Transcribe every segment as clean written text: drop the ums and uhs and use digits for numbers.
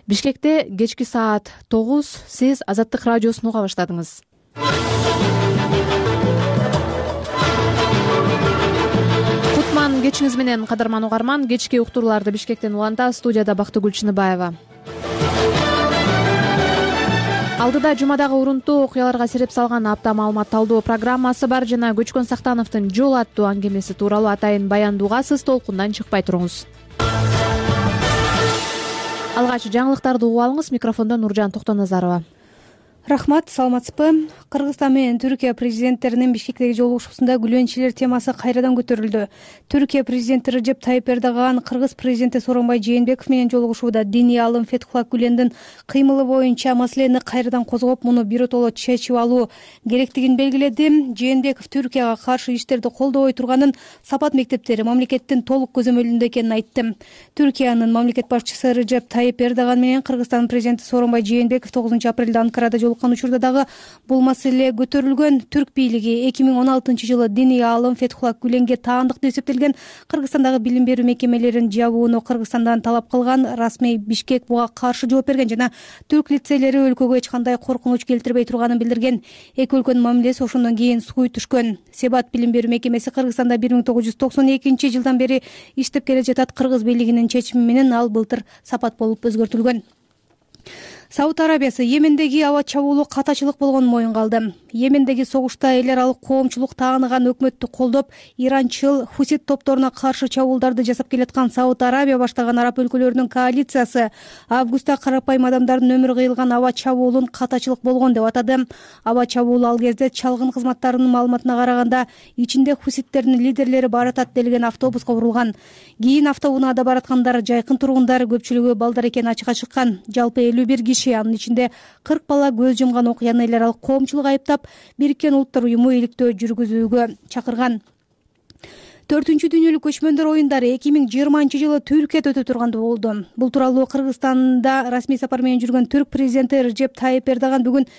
Бишкекте кечки саат 9 сиз Азаттык радиосун уга баштадыңыз. Кутман кечиңиз менен, кадырман угарман. Кечки уктурууларды Бишкектен уланда, студияда Бактыгүл Чыныбаева. Алдыда жумадагы урунтуу окуяларга сереп салган апта маалымат талдоо программасы бар жана Көчкөн Сактановдун жол аттуу аңгемеси тууралуу атайын баяндууга сиз толкундан чыкпай туруңуз. Алгач жаңылыктарды угуп алыңыз. Микрофондо Нуржан Токтоназарова. Рахмат, саламатсызбы? Кыргызстан менен Түркия президенттеринин Бишкектеги жолугушуусунда күлөнчүлөр темасы кайрадан көтөрүлдү. Түркия президенти Режеп Тайип Эрдоган кыргыз президенти Сооронбай Жээнбеков менен жолугушууда диний аалым Фетхулла Гүлендин кыймылы боюнча маселени кайрадан козгоп, муну биротоло чечип алуу керектигин белгиледи. Жээнбеков Түркияга каршы иштерди колдобой турганын, Сапат мектептери мамлекеттин толук көзөмөлүндө экенин айтты. Түркиянын мамлекет башчысы Режеп Тайип Эрдоган менен Кыргызстандын президенти Сооронбай Жээнбеков 9 апрелде Анкарада учурда дагы бул маселе көтөрүлгөн. Түрк бийлиги 2016 жылы диний аалым Фетхулла Гүленге таандык деп эсептелген Кыргызстандагы билим берүү мекемелерин жабууну Кыргызстандан талап кылган. Расмий Бишкек буга каршы жооп берген жана түрк лицейлери өлкөгө эч кандай коркунуч келтирбей турганын билдирген. Эки өлкөнүн мамилеси ошондон кийин сууй түшкөн. Себат билим берүү мекемеси Кыргызстанда 1992 жылдан бери иштеп келе жатат. Кыргыз бийлигинин чечими менен ал былтыр Сапат болуп өзгөртүлгөн. Сауд Арабиясы Йемендеги аба чабуулу катачылык болгонун моюнга алды. Йемендеги согушта эл аралык коомчулук тааныган өкмөттү колдоп, иранчыл хусит топторуна каршы чабуулдарды жасап келаткан Сауд Арабия баштаган араб өлкөлөрүнүн коалициясы августта карапайым адамдардын өмүрү кыйылган аба чабуулун катачылык болгон деп атады. Аба чабуул ал кезде чалгын кызматтарынын маалыматына караганда ичинде хуситтердин лидерлери баратат делген автобуска урулган. Кийин автоунаада бараткандар жайкын тургундар, көпчүлүгү балдар экени ачыкка чыккан. Жалпы 51 киши, анын ичинде 40 бала көз жумган окуяны эл аралык коомчулук айыптап, Бириккен Улуттар уюму иликтөө жүргүзүүгө чакырган. 4-дүнүлүк дүйнөлүк көчмөндөр оюндары 2020 жылы Түркияда өтө турганда болду. Бул тууралуу Кыргызстанда расмий сапар менен жүргөн Түрк президенти Режеп Тайип Эрдоган бүгүн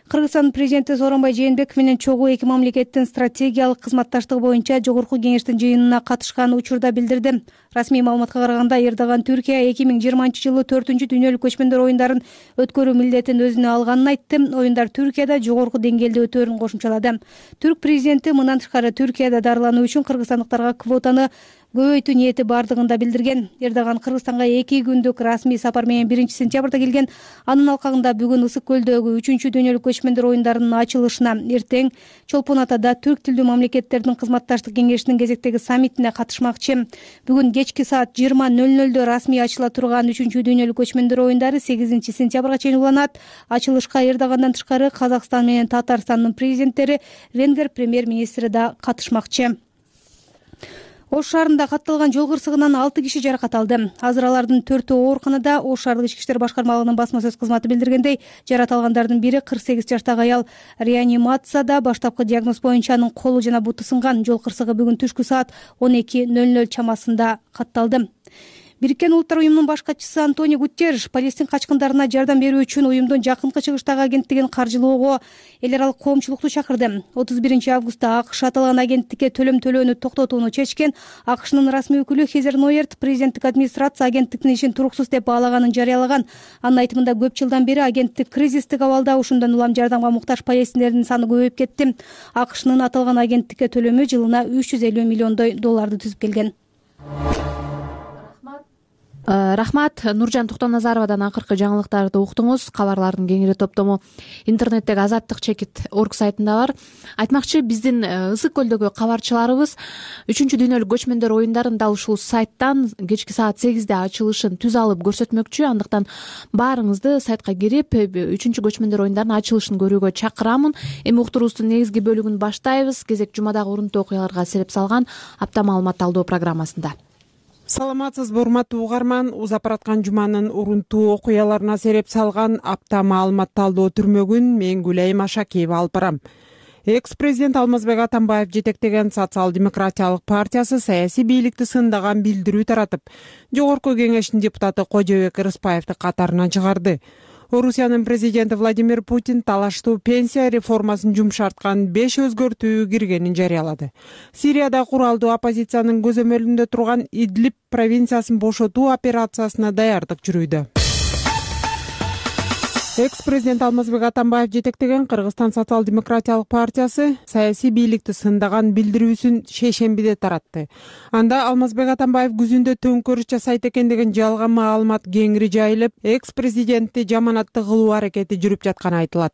Кыргызстандын президенти Сооронбай Жээнбеков менен чогуу эки мамлекеттин стратегиялык кызматташтыгы боюнча жогорку кеңештин жыйынына катышкан учурда билдирди. Расмий маалыматка караганда Эрдоган Түркия 2020 жылы 4-дүнүлүк көчмөндөр оюндарын өткөрүү милдетин өзүнө алганын айтты. Оюндар Түркияда жогорку деңгээлде өтөөрүн кошумчалады. Түрк президенти мындан тышкары Түркияда дарылануу үчүн кыргызстандыктарга квотаны көбөйтүү ниети бардыгын да билдирген. Эрдоган Кыргызстанга 2 күндүк расмий сапар менен 1-сентябрда келген. Анын алкагында бүгүн Ысык көлдөгү 3-дүнүлүк көчмөндөр оюндарынын ачылышына, эртең Чолпон Атада түрк тилдүү мамлекеттердин кызматташтык кеңешинин кезектеги саммитине катышмакчы. Бүгүн кечки саат 20:00 расмий ачыла турган 3-дүнүлүк көчмөндөр оюндары 8 сентябрга чейин уланат. Ачылышка Эрдогандан тышкары Казакстан менен Татарстандын президенттери, Венгер премьер-министри да катышмакчы. Ош шаарында катталган жол кырсыгынан 6 киши жаракат алды. Азыр алардын 4-өө ооруканада. Ош шаардык ички иштер башкармалыгынын басма сөз кызматы билдиргендей, жаракат алгандардын бири 48 жаштагы аял реанимацияда. Баштапкы диагноз боюнча анын колу жана буту сынган. Жол кырсыгы бүгүн түшкү саат 12:00 чамасында катталды. Бириккен Улуттар уюмунун баш катчысы Антонио Гутерриш Палестин качкындарына жардам берүү үчүн уюмдун жакынкы чыгыштагы агенттигин каржылоого эл аралык коомчулукту чакырды. 31 августта АКШ аталган агенттикке төлөм төлөөнү токтотууну чечкен. АКШнын расмий өкүлү Хезер Нойерт президенттик администрация агенттиктин ишин туруксуз деп баалаганын жарыялаган. Анын айтымында көп жылдан бери агенттик кризистик абалда, ошондон улам жардамга муктаж палестиндердин саны көбөйүп кетти. АКШнын аталган агенттикке төлөмү жылына $350 миллион түзүп келген. Рахмат, Нуржан Токтоназаровадан акыркы жаңылыктарды уктуңуз. Кабарлардын кеңири топтому интернеттеги Азаттык чекит орг сайтында бар. Айтмакчы, биздин Ысык көлдөгү кабарчыларыбыз 3-дүнүлүк көчмөндөр оюндарын дал ушул сайттан кечки саат 8де ачылышын түз алып көрсөтмөкчү. Андыктан баарыңызды сайтка кирип 3-көчмөндөр оюндарын ачылышын көрүүгө чакырамын. Эми уктуруубуздун негизги бөлүгүн баштайбыз. Кезек жумадагы урунтуу окуяларга сереп салган апта маалымат талдоо программасында. Саламатсызбы, урматтуу угарман. Узап бараткан жуманын урунтуу окуяларына сереп салган апта маалымат талдоо түрмөгүн мен Гүлайым Ашакиева алып барам. Экс-президент Алмазбек Атамбаев жетектеген Социал-демократиялык партиясы саясий бийликти сындаган билдирүү таратып, жогорку кеңештин депутаты Кожобек Рыспаевди катарынан чыгарды. Орусиянын президенти Владимир Путин талаштуу пенсия реформасын жумшарткан 5 өзгөртүү киргенин жарыялады. Сирияда куралдуу оппозициянын көзөмөлүндө турган Идлиб провинциясын бошотуу операциясына даярдык жүрүүдө. Экс президент Алмазбек Атамбаев жетектеген Кыргызстан социал-демократиялык партиясы саясий бийликти сындаган билдирүүсүн шейшембиде таратты. Анда Алмазбек Атамбаев күзүндө төңкөрүш жасайт экен деген жалган маалымат кеңири жайылып, экс президентти жаманатты кылуу аракети жүрүп жатканы айтылат.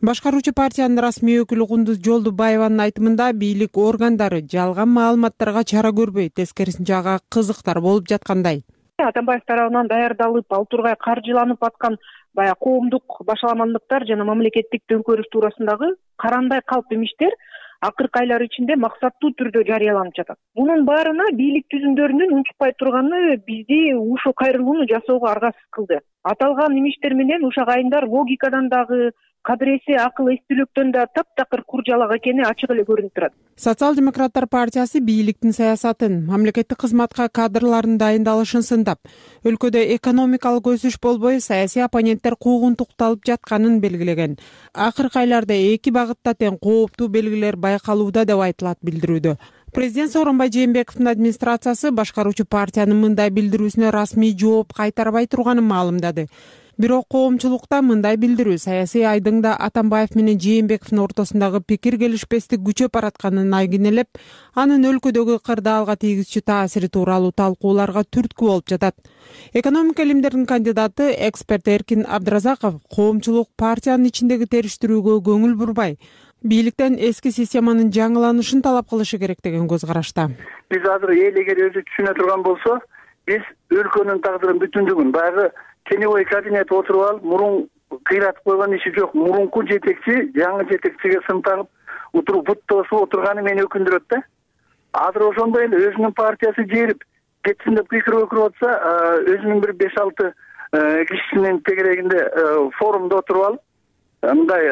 Башкаруучу партиянын расмий өкүлү Кундуз Жолдубаеванын айтымында бийлик органдары жалган маалыматтарга чара көрбөй, тескерисинче ага кызыктар болуп жаткандай. Атамбаев тарабынан даярдалып, ал тургай каржыланып аткан баягы коомдук башаламандыктар жана мамлекеттик төңкөрүш туурасындагы карандай калп имиштер акыркы айлар ичинде максаттуу түрдө жарыяланып жатат. Мунун баарына бийлик түзүмдөрүнүн унчукпай турганы бизди ушул кайрылууну жасоого аргасыз кылды. Аталган имиштер менен ушак айымдар логикадан дагы, кадыресе акыл эстүүлүктөн да таптакыр куржалак экени ачык эле көрүнүп турат. Социал-демократтар партиясы бийликтин саясатын, мамлекеттик кызматка кадрлардын дайындалышын сындап, өлкөдө экономикалык өсүш болбой, саясий оппоненттер куугунтукталып жатканын белгилеген. Акыркы айларда эки багытта тең кооптуу белгилер байкалууда деп айтылат билдирүүдө. Президент Сооронбай Жээнбековдун администрациясы башкаруучу партиянын мындай билдирүүсүнө расмий жооп кайтарбай турганын маалымдады. Бирок коомчулукта мындай билдирүү саясий айдыңда Атамбаев менен Жээнбековдун ортосундагы пикир келишпестик күчөп баратканын айгинелеп, анын өлкөдөгү кырдаалга тийгизчү таасири тууралуу талкууларга түрткү болуп жатат. Экономика илимдеринин кандидаты, эксперт Эркин Абдыразаков коомчулук партиянын ичиндеги териштирүүгө көңүл бурбай, бийликтен эски системанын жаңыланышын талап кылышы керек деген көз карашта. Биз азыр эл эгер өзү түшүнө турган болсо, биз өлкөнүн тагдырын бүтүндүгүн баягы теневой кабинет отуруп алып, мурун кыйратып койгон иши жок. Мурунку жетекчи жаңы жетекчиге сын тагып утуруп бут тосуп отурганы мени өкүндүрөт да. Азыр ошондой эле өзүнүн партиясы жерип кетсин деп пикир өкүрүп атса, өзүнүн бир 5-6 кишинин тегерегинде форумда отуруп алып, мындай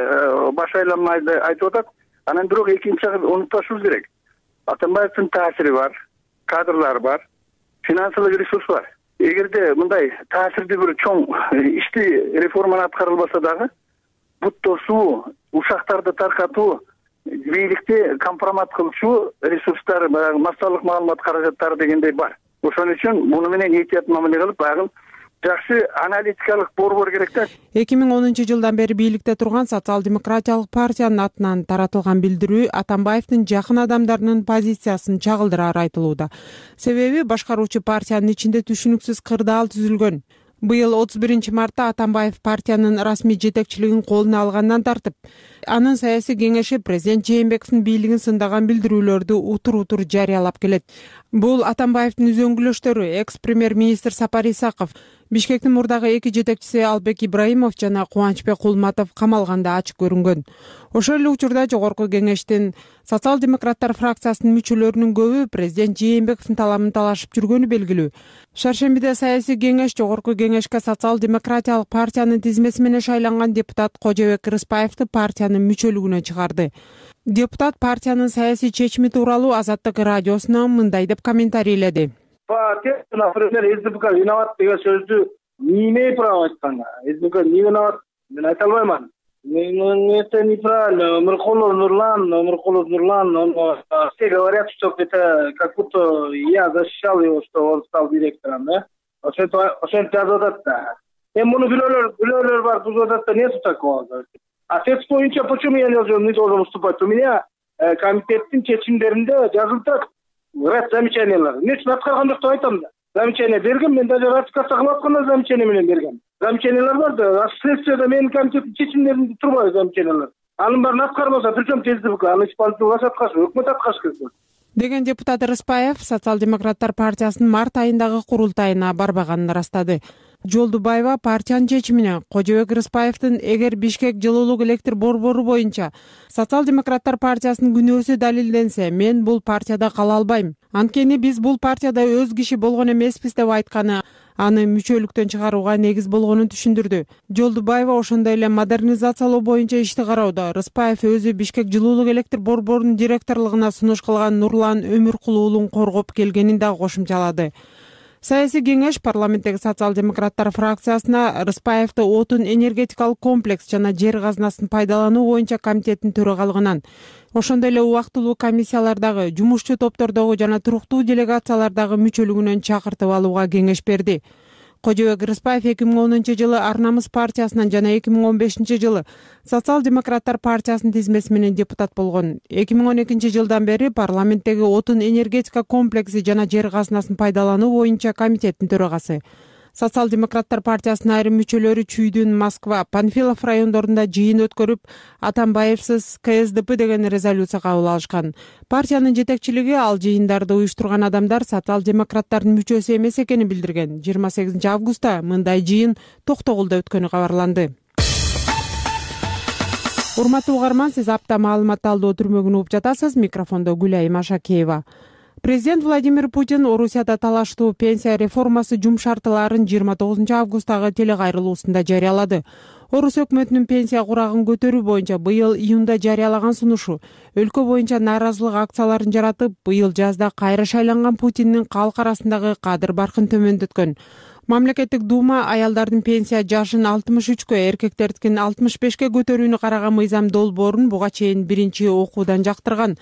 баш айланмайды айтып атат. Анан бирок экинчи жагын унутпашыбыз керек. Атамбаевдин таасири бар, кадрлар бар, финансылык ресурс бар. Эгерде мындай таасирдүү бир чоң ишти реформаны аткарылбаса дагы, бут тосуу, ушактарды таркатуу, бийликти компромат кылчу ресурстар, баягы массалык маалымат каражаттары дегендей бар. Ошон үчүн муну менен этият мамиле кылып, баягы жакшы аналитикалык борбор керек да. 2010-жылдан бери бийликте турган социал-демократиялык партиянын атынан таратылган билдирүү Атамбаевдин жакын адамдарынын позициясын чагылдырары айтылууда. Себеби башкаруучу партиянын ичинде түшүнүксүз кырдаал түзүлгөн. Быйыл 31-мартта Атамбаев партиянын расмий жетекчилигин колуна алгандан тартып, анын саясий кеңеши президент Жээнбековдун бийлигин сындаган билдирүүлөрдү утур-утур жарыялап келет. Бул Атамбаевдин үзөңгүлөштөрү экс-премьер-министр Сапар Исаков, Бишкектин мурдагы эки жетекчиси Албек Ибраимов жана Кубанычбек Кулматов камалганда ачык көрүнгөн. Ошол эле учурда жогорку кеңештин социал-демократтар фракциясынын мүчөлөрүнүн көбү президент Жээнбековдун талабын талашып жүргөнү белгилүү. Шаршембиде саясий кеңеш жогорку кеңешке социал-демократиялык партиянын тизмеси менен шайланган депутат Кожобек Рыспаевди партиянын мүчөлүгүнө чыгарды. Депутат партиянын саясий чечими тууралуу Азаттык радиосуна мындай деп комментарийледи. Например, СДПК виноват деген сөздү не имею права айтканга. СДПК не виноват, мен айта албайман. Это неправильно. Мыркулов Нурлан, все говорят, что это как будто я защищал его, что он стал директором, да? Ошентип жазып атат да. Муну билөөлөр бар, бул жатат, нету такого. А текст боюнча почему я не должен выступать? У меня комитеттин чечимдеринде жазылып ряд замечаниялар. Эмне үчүн аткарган жок деп айтам да. Замечание бергем, мен даже ратификация кылып атканда замечание менен бергем. Замечаниялар бар да, следствияда менин комитеттин чечимдеринде турбайбы замечаниялар. Анын баарын аткарбаса, причем ТСДПК, аны исполнительный власть аткарышы, өкмөт аткарыш керек. Деген депутат Рыспаев социал-демократтар партиясынын март айындагы курултайына барбаганын ырастады. Жолдубаева партиянын чечимине Кожобек Рыспаевдин эгер Бишкек жылуулук электр борбору боюнча социал-демократтар партиясынын күнөөсү далилденсе, мен бул партияда кала албайм. Анткени биз бул партияда өз киши болгон эмеспиз деп айтканы аны мүчөлүктөн чыгарууга негиз болгонун түшүндүрдү. Жолдубаева ошондой эле модернизациялоо боюнча ишти кароодо Рыспаев өзү Бишкек жылуулук электр борборунун директорлугуна сунуш кылган Нурлан Өмүркулуулун коргоп келгенин да кошумчалады. Саясий кеңеш парламенттеги социал-демократтар фракциясына Рыспаевди отун энергетикалык комплекс жана жер казынасын пайдалануу боюнча комитеттин төрагалыгынан, ошондой эле убактылуу комиссиялардагы, жумушчу топтордогу жана туруктуу делегациялардагы мүчөлүгүнөн чакыртып алууга кеңеш берди. Кожобек Рыспаев 2010-жылы Ар намыс партиясынан жана 2015-жылы Социал-демократтар партиясынын тизмеси менен депутат болгон. 2012-жылдан бери парламенттеги отун энергетика комплекси жана жер казынасын пайдалануу боюнча комитеттин төрагасы. Социал-демократтар партиясынын айрым мүчөлөрү Чүйдүн, Москва, Панфилов райондорунда жыйын өткөрүп, Атамбаевсиз КСДП деген резолюция кабыл алышкан. Партиянын жетекчилиги ал жыйындарды уюштурган адамдар социал-демократтардын мүчөсү эмес экенин билдирген. 28 августта мындай жыйын Токтогулда өткөнү кабарланды. Урматтуу угарман, сиз апта маалымат талдоо түрмөгүн угуп жатасыз. Микрофондо Гүлайым Ашакеева. Президент Владимир Путин Орусияда талаштуу пенсия реформасы жумшартыларын 29 августтагы телекайрылуусунда жарыялады. Орус өкмөтүнүн пенсия курагын көтөрүү боюнча быйыл июнда жарыялаган сунушу өлкө боюнча нааразылык акцияларын жаратып, быйыл жазда кайра шайланган Путиндин калк арасындагы кадыр баркын төмөндөткөн. Мамлекеттик дума аялдардын пенсия жашын 63кө, эркектердикин 65ке көтөрүүнү караган мыйзам долбоорун буга чейин биринчи окуудан жактырган.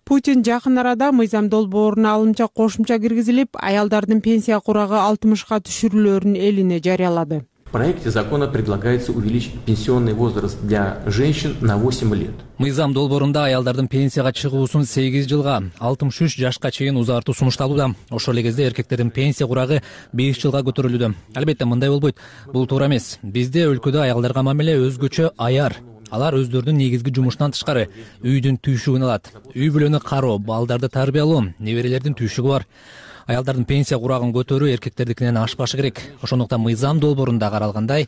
Путин жакын арада мыйзам долбооруна алымча кошумча киргизилип, аялдардын пенсия курагы 60ка түшүрүлөөрүн элине жарыялады. В проекте закона предлагается увеличить пенсионный возраст для женщин на 8 лет. Мыйзам долбоорунда аялдардын пенсияга чыгуусун 8 жылга, 63 жашка чейин узартуу сунушталууда. Ошол эле кезде эркектердин пенсия курагы 5 жылга көтөрүлүүдө. Албетте мындай болбойт. Бул туура эмес. Бизде өлкөдө аялдарга мамиле өзгөчө аяр. Алар өздөрүнүн негизги жумушунан тышкары үйдүн түйшүгүн алат. Үй бүлөнү кароо, балдарды тарбиялоо, неберелердин түйшүгү бар. Аялдардын пенсия курагын көтөрүү эркектердикинен ашпашы керек. Ошондуктан мыйзам долбоорунда каралгандай,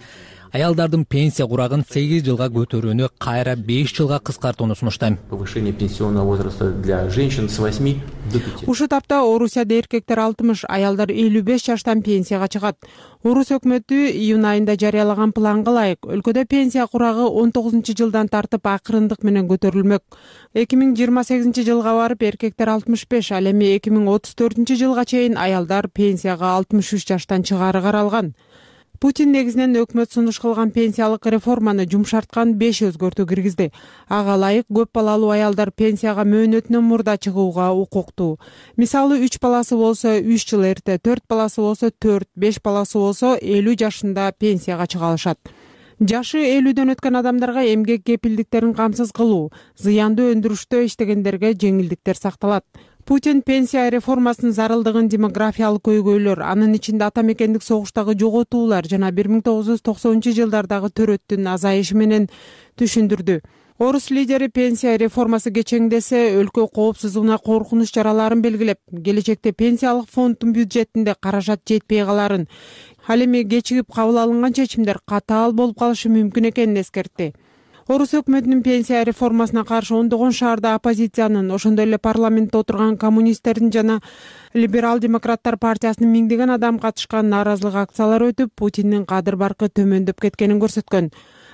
аялдардын пенсия курагын 8 жылга көтөрүүнү кайра 5 жылга кыскартууну сунуштайм. Повышение пенсионного возраста для женщин с 8 до 5. Ушул тапта Орусияда эркектер 60, аялдар 55 жаштан пенсияга чыгат. Орус өкмөтү июнь айында жарыялаган планга ылайык өлкөдө пенсия курагы 19-жылдан тартып акырындык менен көтөрүлмөк. 2028-жылга барып эркектер 65, ал эми 2034-жылга чейин аялдар пенсияга 63 жаштан чыгаары каралган. Путин негизинен өкмөт сунуш кылган пенсиялык реформаны жумшарткан 5 өзгөртүү киргизди. Ага ылайык көп балалуу аялдар пенсияга мөөнөтүнөн мурда чыгууга укуктуу. Мисалы 3 баласы болсо 3 жыл эрте, 4 баласы болсо 4, 5 баласы болсо 50 жашында пенсияга чыга алышат. Жашы 50дөн өткөн адамдарга эмгек кепилдиктерин камсыз кылуу, зыяндуу өндүрүштө иштегендерге жеңилдиктер сакталат. Путин пенсия реформасынын зарылдыгын демографиялык көйгөйлөр, анын ичинде ата мекендик согуштагы жоготуулар жана 1990-жылдардагы төрөттүн азайышы менен түшүндүрдү. Орус лидери пенсия реформасы кечеңдесе, өлкө коопсуздугуна коркунуч чараларын белгилеп, келечекте пенсиялык фонддун бюджетинде каражат жетпей каларын, ал эми кечигип кабыл алынган чечимдер катаал болуп калышы мүмкүн экенин эскертти. Орус өкмөтүнүн пенсия реформасына каршы ондогон шаарда оппозициянын, ошондой эле парламентте отурган коммунисттердин жана либерал-демократтар партиясынын миңдеген адам катышкан нааразылык акциялары өтүп, Путиндин кадыр баркы төмөндөп кеткенин көрсөткөн.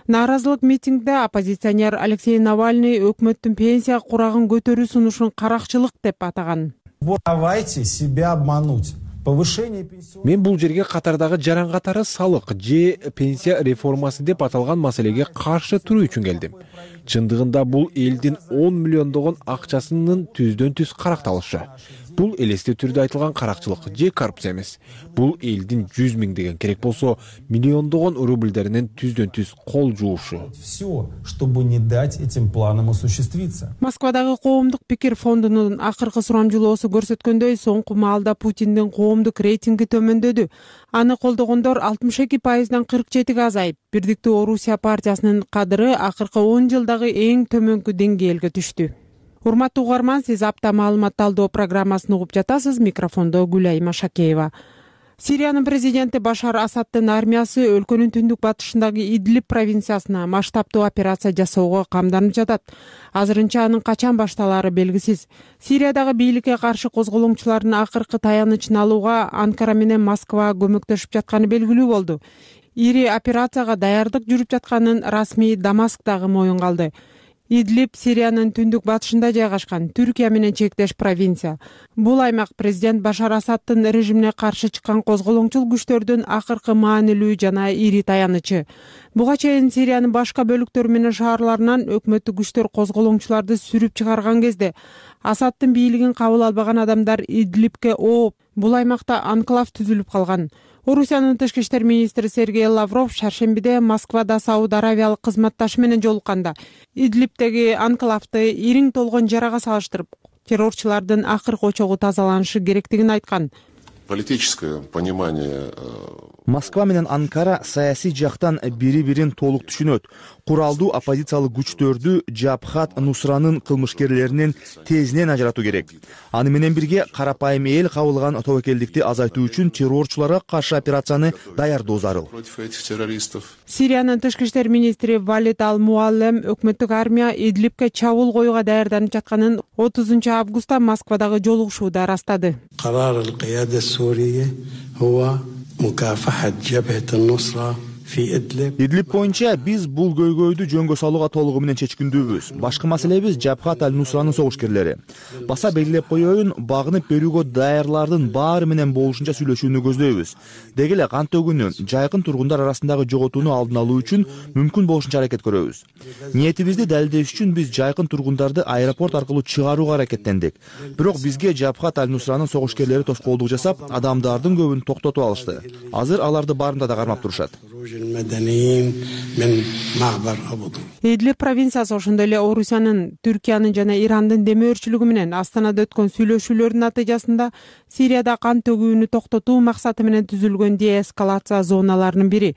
Нааразылык митингде оппозиционер Алексей Навальный өкмөттүн пенсия курагын көтөрүү сунушун каракчылык деп атаган. Давайте себя обмануть. Мен бул жерге катардагы жаран катары салык же пенсия реформасы деп аталган маселеге каршы туруу үчүн келдим. Чындыгында бул элдин 10 миллиондогон акчасынын түздөн түз каракталышы. Бул элестүү түрдө айтылган каракчылык же коррупция эмес. Бул элдин 100 миңдеген, керек болсо миллиондогон рубльдеринен түздөн түз кол жуушу. Все, чтобы не дать этим планам осуществиться. Москвадагы коомдук пикир фондунун акыркы сурамжылоосу көрсөткөндөй, соңку маалда Путиндин коомдук рейтинги төмөндөдү. Аны колдогондор 62%дан 47ге азайып, Бирдиктүү Орусия партиясынын кадыры акыркы 10 жылдагы эң төмөнкү деңгээлге түштү. Урматтуу угарман, сиз апта маалымат талдоо программасын угуп жатасыз. Микрофондо Гүлайым Ашакеева. Сириянын президенти Башар Асаддын армиясы өлкөнүн түндүк батышындагы Идлиб провинциясына масштабтуу операция жасоого камданып жатат. Азырынча анын качан башталаары белгисиз. Сириядагы бийликке каршы козголоңчулардын акыркы таянычын алууга Анкара менен Москва көмөктөшүп жатканы белгилүү болду. Ири операцияга даярдык жүрүп жатканын расмий Дамаск дагы моюнга алды. Идлиб Сириянын түндүк батышында жайгашкан Түркия менен чектеш провинция. Бул аймак президент Башар Асаддын режимине каршы чыккан козголоңчул күчтөрдүн акыркы маанилүү жана ири таянычы. Буга чейин Сириянын башка бөлүктөрү менен шаарларынан өкмөттүк күчтөр козголоңчуларды сүрүп чыгарган кезде Асаддын бийлигин кабыл албаган адамдар Идлибке ооп, бул аймакта анклав түзүлүп калган. Орусиянын тышкы иштер министри Сергей Лавров шаршембиде Москвада Сауд Аравиялык кызматташы менен жолукканда Идлибтеги анклавды ириң толгон жарага салыштырып, террорчулардын акыркы очогу тазаланышы керектигин айткан. Политическое понимание. Москва менен Анкара саясий жактан бири-бирин толук түшүнөт. Куралдуу оппозициялык күчтөрдү Жабхат Нусранын кылмышкерлеринен тезинен ажыратуу керек. Аны менен бирге карапайым эл кабылган тобокелдикти азайтуу үчүн террорчуларга каршы операцияны даярдоо зарыл. Сириянын тышкы иштер министри Валид Ал-Муаллем өкмөттүк армия Идлибке чабуул коюуга даярданып жатканын 30 августта Москвадагы жолугушууда ырастады. Идлиб боюнча биз бул көйгөйдү жөнгө салууга толугу менен чечкиндүүбүз. Башкы маселебиз Жабхат Ал-Нусранын согушкерлери. Баса белгилеп коеюн, багынып берүүгө даярлардын баары менен болушунча сүйлөшүүнү көздөйбүз. Деги эле кан төгүүнү, жайкын тургундар арасындагы жоготууну алдын алуу үчүн мүмкүн болушунча аракет көрөбүз. Ниетибизди далилдеш үчүн биз жайкын тургундарды аэропорт аркылуу чыгарууга аракеттендик. Бирок бизге Жабхат Ал-Нусранын согушкерлери тоскоолдук жасап, адамдардын көбүн токтотуп алышты. Азыр аларды баарында да кармап турушат. Идлиб провинциясы ошондой эле Орусиянын, Түркиянын жана Ирандын демөөрчүлүгү менен Астанада өткөн сүйлөшүүлөрдүн натыйжасында Сирияда кан төгүүнү токтотуу максаты менен түзүлгөн деэскалация зоналарынын бири.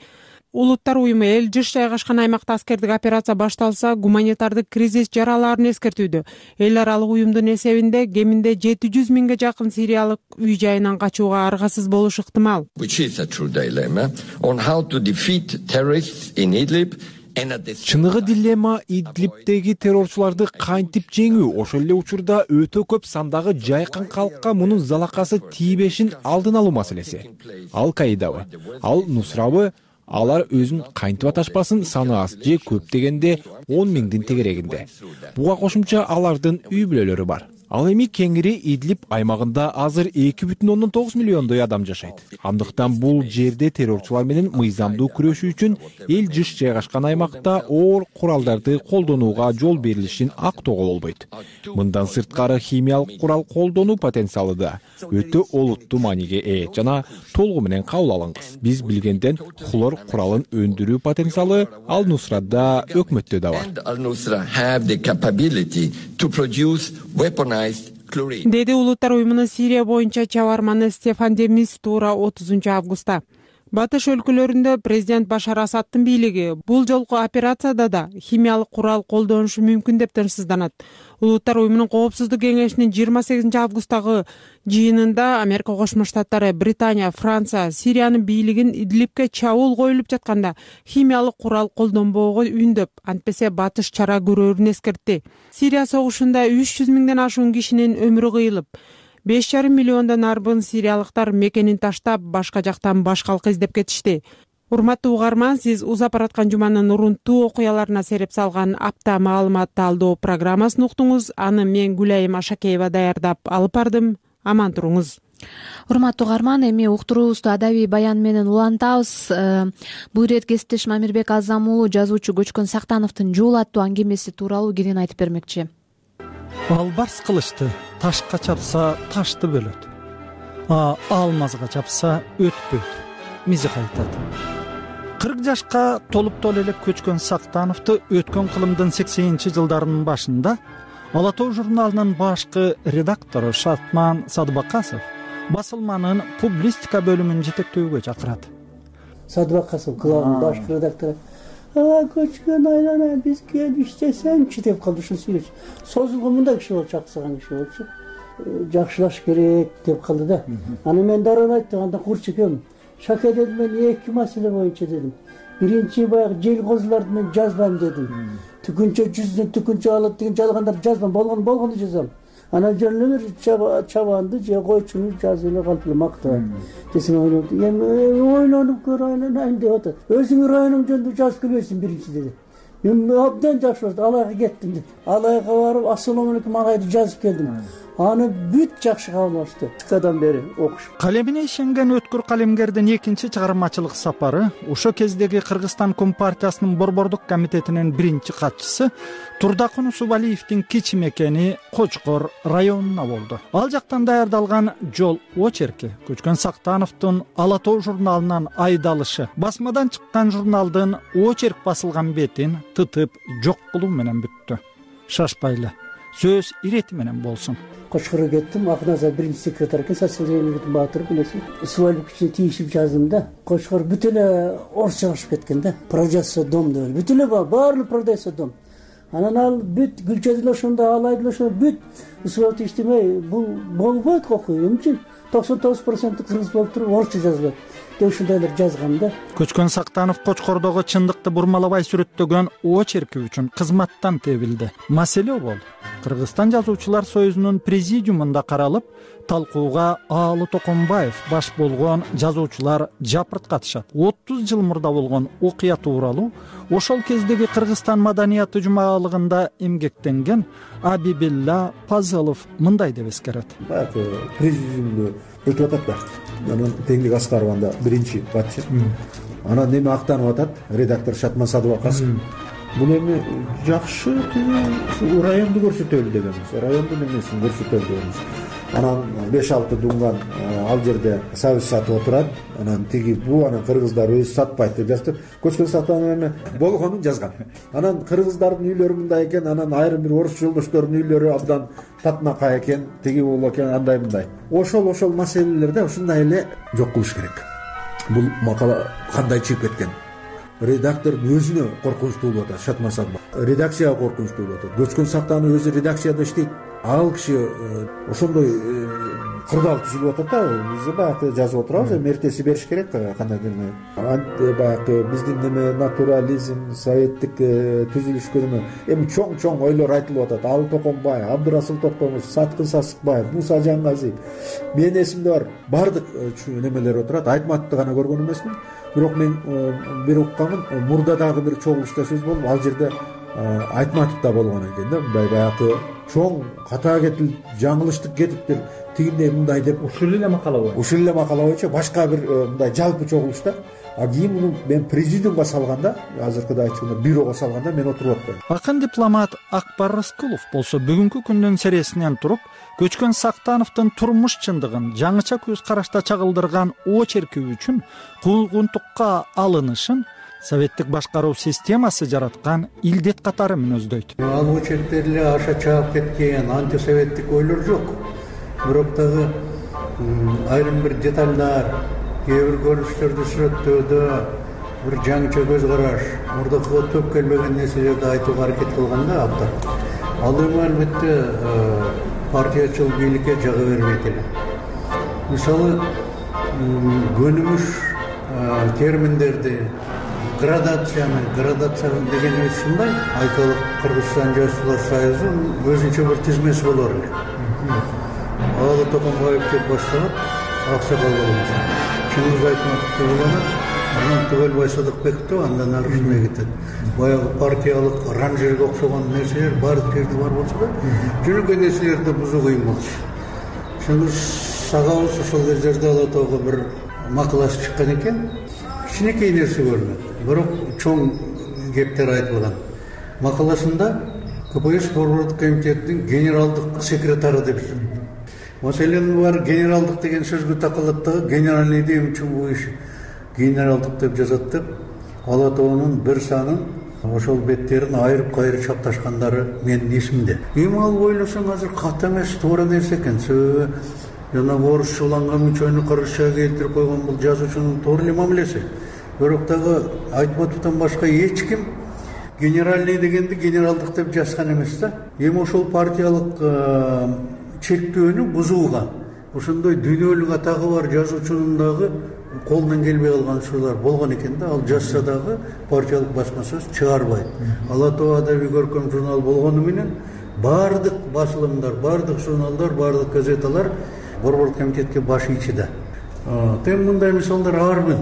Улуттар уюму эл жыш жайгашкан аймакта аскердик операция башталса, гуманитардык кризис жаралаарын эскертүүдө. Эл аралык уюмдун эсебинде кеминде 700 миңге жакын сириялык үй жайынан качууга аргасыз болушу ыктымал. Чыныгы дилемма Идлибтеги террорчуларды кантип жеңүү, ошол эле учурда өтө көп сандагы жайкын калкка мунун залакасы тийбешин алдын алуу маселеси. Ал-Каидабы, Ал-Нусрабы, алар өзүн кантип аташпасын, саны аз же көп дегенде 10 миңдин тегерегинде. Буга кошумча алардын үй бүлөлөрү бар. Ал эми кеңири Идлиб аймагында азыр 2,9 миллиондой адам жашайт. Андыктан бул жерде террорчулар менен мыйзамдуу күрөшүү үчүн эл жыш жайгашкан аймакта оор куралдарды колдонууга жол берилишин актоого болбойт. Мындан сырткары химиялык курал колдонуу потенциалы да өтө олуттуу мааниге ээ жана толугу менен кабыл алынгыс. Биз билгенден хлор куралын өндүрүү потенциалы Ал-Нусрада өкмөттө да бар. Деди Улуттар уюмунун Сирия боюнча чабарманы Стефан де Мистура 30 августта. Батыш өлкөлөрүндө президент Башар Асаддын бийлиги бул жолку операцияда да химиялык курал колдонушу мүмкүн деп тынчсызданат. Улуттар уюмунун коопсуздук кеңешинин 28 августтагы жыйынында Америка Кошмо Штаттары, Британия, Франция Сириянын бийлигин Идлибке чабуул коюлуп жатканда химиялык курал колдонбоого үндөп, антпесе батыш чара көрөрүн эскертти. Сирия согушунда 300 миңден ашуун кишинин өмүрү кыйылып, 5,5 миллиондон арбын сириялыктар мекенин таштап, башка жактан баш калкы издеп кетишти. Урматтуу угарман, сиз узап бараткан жуманын урунттуу окуяларына сереп салган апта маалыматты алдоо программасын уктуңуз. Аны мен Гүлайым Ашакеева даярдап алып бардым. Аман туруңуз. Урматтуу угарман, эми уктуруубузду адабий баян менен улантабыз. Бул ирет кесиптешим Амирбек Азам уулу жазуучу Көчкөн Сактановдун жуул аттуу аңгемеси тууралуу кенен айтып бермекчи. Албарс кылычты ташка чапса ташты бөлөт, алмазга чапса өтпөйт, мизи кайтат. 40 жашка толуп элек Көчкөн Сактановду өткөн кылымдын 80-жылдарынын башында Ала тоо журналынын башкы редактору Шартман Садыбакасов басылманын публистика бөлүмүн жетектөөгө чакырат. Садыбакасов клубунун башкы редактору Көчкөн айлана биз келип иштесеңчи деп калды. Ушул сүйлөчү. Созулгон мындай киши болчу, аксаган киши болчу. Жакшылаш керек деп калды да. Аны мен дароо айттым, анда курч экенмин. Шаке дедим, мен 2 маселе боюнча дедим. Биринчи баягы жел козуларды мен жазбайм дедим. Түкүнчө жүздөн түкүнчө алат деген жалгандарды жазбайм, болгону жазам. Анан жөн эле чабанды же койчуну жазып эле калып эле мактап. Десем ойлоп, эми ойлонуп көрөйүн деп атат. Өзүң районуң жөнүндө жазып келбейсиң биринчи деди. Мен абдан жакшы болду, Алайга кеттим деп. Алайга барып, ассалому алейкум Алайды жазып келдим. аны бүт жакшы кабыл алышты. Кадан бери окуш. Калемине ишенген өткүр калемгердин экинчи чыгармачылык сапары ошо кездеги Кыргызстан Компартиясынын борбордук комитетинин биринчи катчысы Турдакун Усубалиевдин кичи мекени Кочкор районуна болду. Ал жактан даярдалган жол очерки Көчкөн Сактановдун Ала Тоо журналынан айдалышы басмадан чыккан журналдын очерк басылган бетин тытып жок кылуу менен бүттү. Шашпайлы сөз ирети менен болсун. Кочкорго кеттим, Акназа биринчи секретарь экен, социалдемократтын баатыры билесиз. Усубалиевичке тийишип жаздым да. Кочкор бүт эле орусча чыгышып кеткен да. Продается дом деп. Бүт эле баары продается дом. Анан ал бүт Гүлчөдүл ошондо, Алайдыл ошондо бүт Усубалиев иштемей, бул болбойт окуй. Эмне үчүн 99% кыргыз болуп туруп орусча жазылат деп ушундайлар жазган да. Көчкөн Сактанов Кочкордогу чындыкты бурмалабай сүрөттөгөн очерки үчүн кызматтан тебилди. Маселе бул Кыргызстан жазуучулар союзунун президиумунда каралып, талкууга Аалы Токонбаев баш болгон жазуучулар жапырт катышат. 30 жыл мурда болгон окуя тууралуу ошол кездеги Кыргызстан маданияты жумалыгында эмгектенген Абибилла Пазылов мындай деп эскерет. Президиумду өтүп атат да. Анан Теңдик Аскарованда биринчи катчы. Анан эми актанып атат редактор Шатман Садыбакасов. Бул эми жакшы районду көрсөтөлү дегенбиз. Райондун эмесин көрсөтөлү дегенбиз. Анан 5-6 дунган ал жерде сабыз сатып отурат. Анан тиги бу анан кыргыздар өзү сатпайт деп жазып. Көчкөн Сактанов эми болгонун жазган. Анан кыргыздардын үйлөрү мындай экен, анан айрым бир орус жолдоштордун үйлөрү абдан татынакай экен, тиги бул экен, андай мындай. Ошол маселелерде ушундай эле жок кылыш керек. Бул макала кандай чыгып кеткен? Редактордун өзүнө коркунучтуу болуп атат, Шатман Садыбак. Редакцияга коркунучтуу болуп атат. Көчкөн Сактанов өзү редакцияда иштейт. Ал киши ошондой кырдаал түзүлүп атат да. Биз баягы жазып отурабыз, эми эртеси бериш керек кандай деме. Баягы биздин неме натурализм, советтик түзүлүшкө неме эми чоң ойлор айтылып атат. Аалы Токонбаев, Абдырасыл Токомуш, Саткын Сасыкбаев, Муса Жангазиев. Менин эсимде бар. Бардык немелер отурат. Айтматовду гана көргөн эмесмин. Бирок мен бир укканым, мурда дагы бир чогулушта сөз болуп, ал жерде Айтматов да болгон экен да. Мындай баягы чоң ката кетип, жаңылыштык кетиптир. Тигиндей мындай деп ушул эле макала боюнча башка бир мындай жалпы чогулушта. А кийин муну мен президиумга салганда, азыркыда айтканда бюрого салганда мен отуруп аттым. Акын дипломат Акбар Рыскулов болсо бүгүнкү күндүн сересинен туруп, Көчкөн Сактановдун турмуш чындыгын жаңыча көз карашта чагылдырган очерки үчүн куугунтукка алынышын советтик башкаруу системасы жараткан илдет катары мүнөздөйт. Ал очерктерде аша чаап кеткен антисоветтик ойлор жок. Бирок дагы айрым бир детальдар, кээ бир көрүнүштөрдү сүрөттөөдө бир жаңыча көз караш, мурдакыга төп келбеген нерселерди айтууга аракет кылганда абдан. Ал эми албетте партиячыл бийликке жага бербейт эле. Мисалы, көнүмүш терминдерди градация дегенибиз ушундай. Айталык Кыргызстан жазуучулар союзунун өзүнчө бир тизмеси болор эле. Аалы Токонбаев деп башталат, Аксакал болот. Чыңгыз Айтматов деп уланат, анан Түгөлбай Садыкбеков андан ары ушундай кетет. Баягы партиялык ранжерге окшогон нерселер баардык жерде бар болсо да, жөнөкөй нерселерди бузуу кыйын болчу. Ошондо сагабыз ошол кездерде Ала Тоого бир макаласы чыккан экен. Кичинекей нерсе көрүнөт, бирок чоң кептер айтылган. Макаласында КПСС борбордук комитетинин генералдык секретары деп жүрөт. Маселен бар генералдык деген сөзгө такалат да, генеральный дем үчүн бул иш генералдык деп жазат деп, Ала Тоонун бир санын ошол беттерин айрып-кайрып чапташкандары менин эсимде. Эми ал ойлосоң азыр ката эмес, туура нерсе экен. Жанагы орусчаланган мучойну кыргызчага келтирип койгон бул жазуучунун туура эле мамилеси. Бирок дагы Айтматовдон башка эч ким генеральный дегенди генералдык деп жазган эмес да. Эми ошол партиялык чектөөнү бузууга, ошондой дүйнөлүк атагы бар жазуучунун дагы колунан келбей калган учурлар болгон экен да. Ал жазса дагы партиялык басма сөз чыгарбайт. Ала Тоо адабий көркөм журнал болгону менен баардык басылымдар, баардык журналдар, баардык газеталар борбордук комитетке баш ийчи да. Тем мындай мисалдар арбын.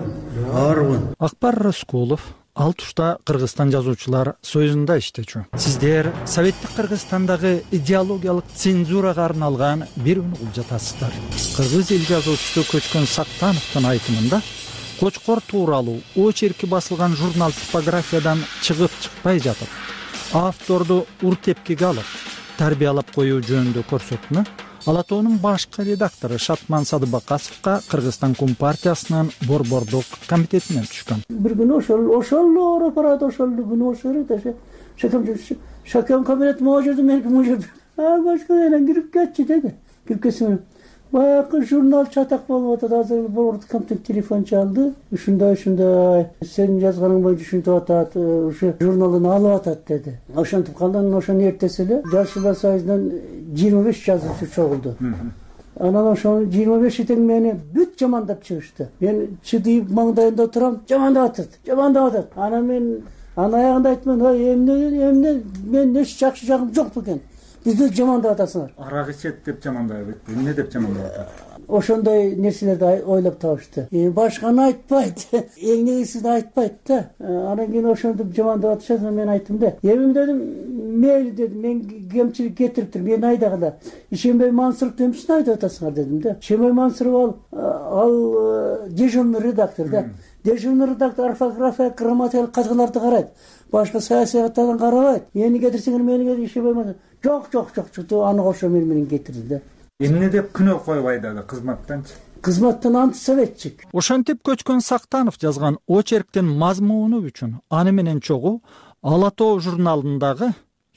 Акбар Рыскулов ал тушта Кыргызстан жазуучулар союзунда иштечү. Сиздер Советтик Кыргызстандагы идеологиялык цензурага арналган бир угул жатасыздар. Кыргыз эл жазуучусу Көчкөн Сактановдун айтымында Кочкор тууралуу очерки басылган журнал типографиядан чыгып чыкпай жатып, авторду ур тепкиге алып, тарбиялап коюу жөнүндө көрсөтмө Ала тоонун башкы редактору Шатман Садыбакасовго Кыргызстан Компартиясынын борбордук комитетинен түшкөн. Бир күнү ошол ооруп барат, ошол күнү ошол шакам кабинет могу жерде, меники могу жерде. Көчкөн кирип кетчи деди. Кирип кетсем, баягы журнал чатак болуп атат. Азыр борбордук комитет телефон чалды. Ушундай сенин жазганың боюнча ушинтип атат, ушу журналын алып атат деди. Ошентип калдан ошону эртеси эле Жазуучулар союзунан 25 жазуучу чогулду. Анан ошонун 25 тең мени бүт жамандап чыгышты. Мен чыдыйып маңдайында турам, жамандап атат. Анан мен аягында айттым, эмне мен эч жакшы жагым жок бекен. Бизди жамандап атасыңар. Арак ичет деп жамандайбы. Эмне деп жамандап атат? Ошондой нерселерди ойлоп табышты. Башканы айтпайт, эң негизгисин айтпайт да. Анан кийин ошентип жамандап атышат. Мен айттым да, эми дедим, мейли дедим, мен кемчилик кетириптир, мени айдагыла. Ишенбей Мансуров эмче айдап атасыңар дедим да. Ишенбей Мансуров ал дежурный редактор да. Дежурный редактор орфография, грамматикалык катгыларды карайт. Башка саясаттардан карабайт. Мени кетирсеңер, мени ишенбей Мансуров. Жок, аны кошо менен кетирди да. Эмне деп күнөө коюп айдады кызматтанчы? Кызматтан антисоветчик. Ошентип Көчкөн Сактанов жазган очерктин мазмуну үчүн аны менен чогуу Ала тоо журналындагы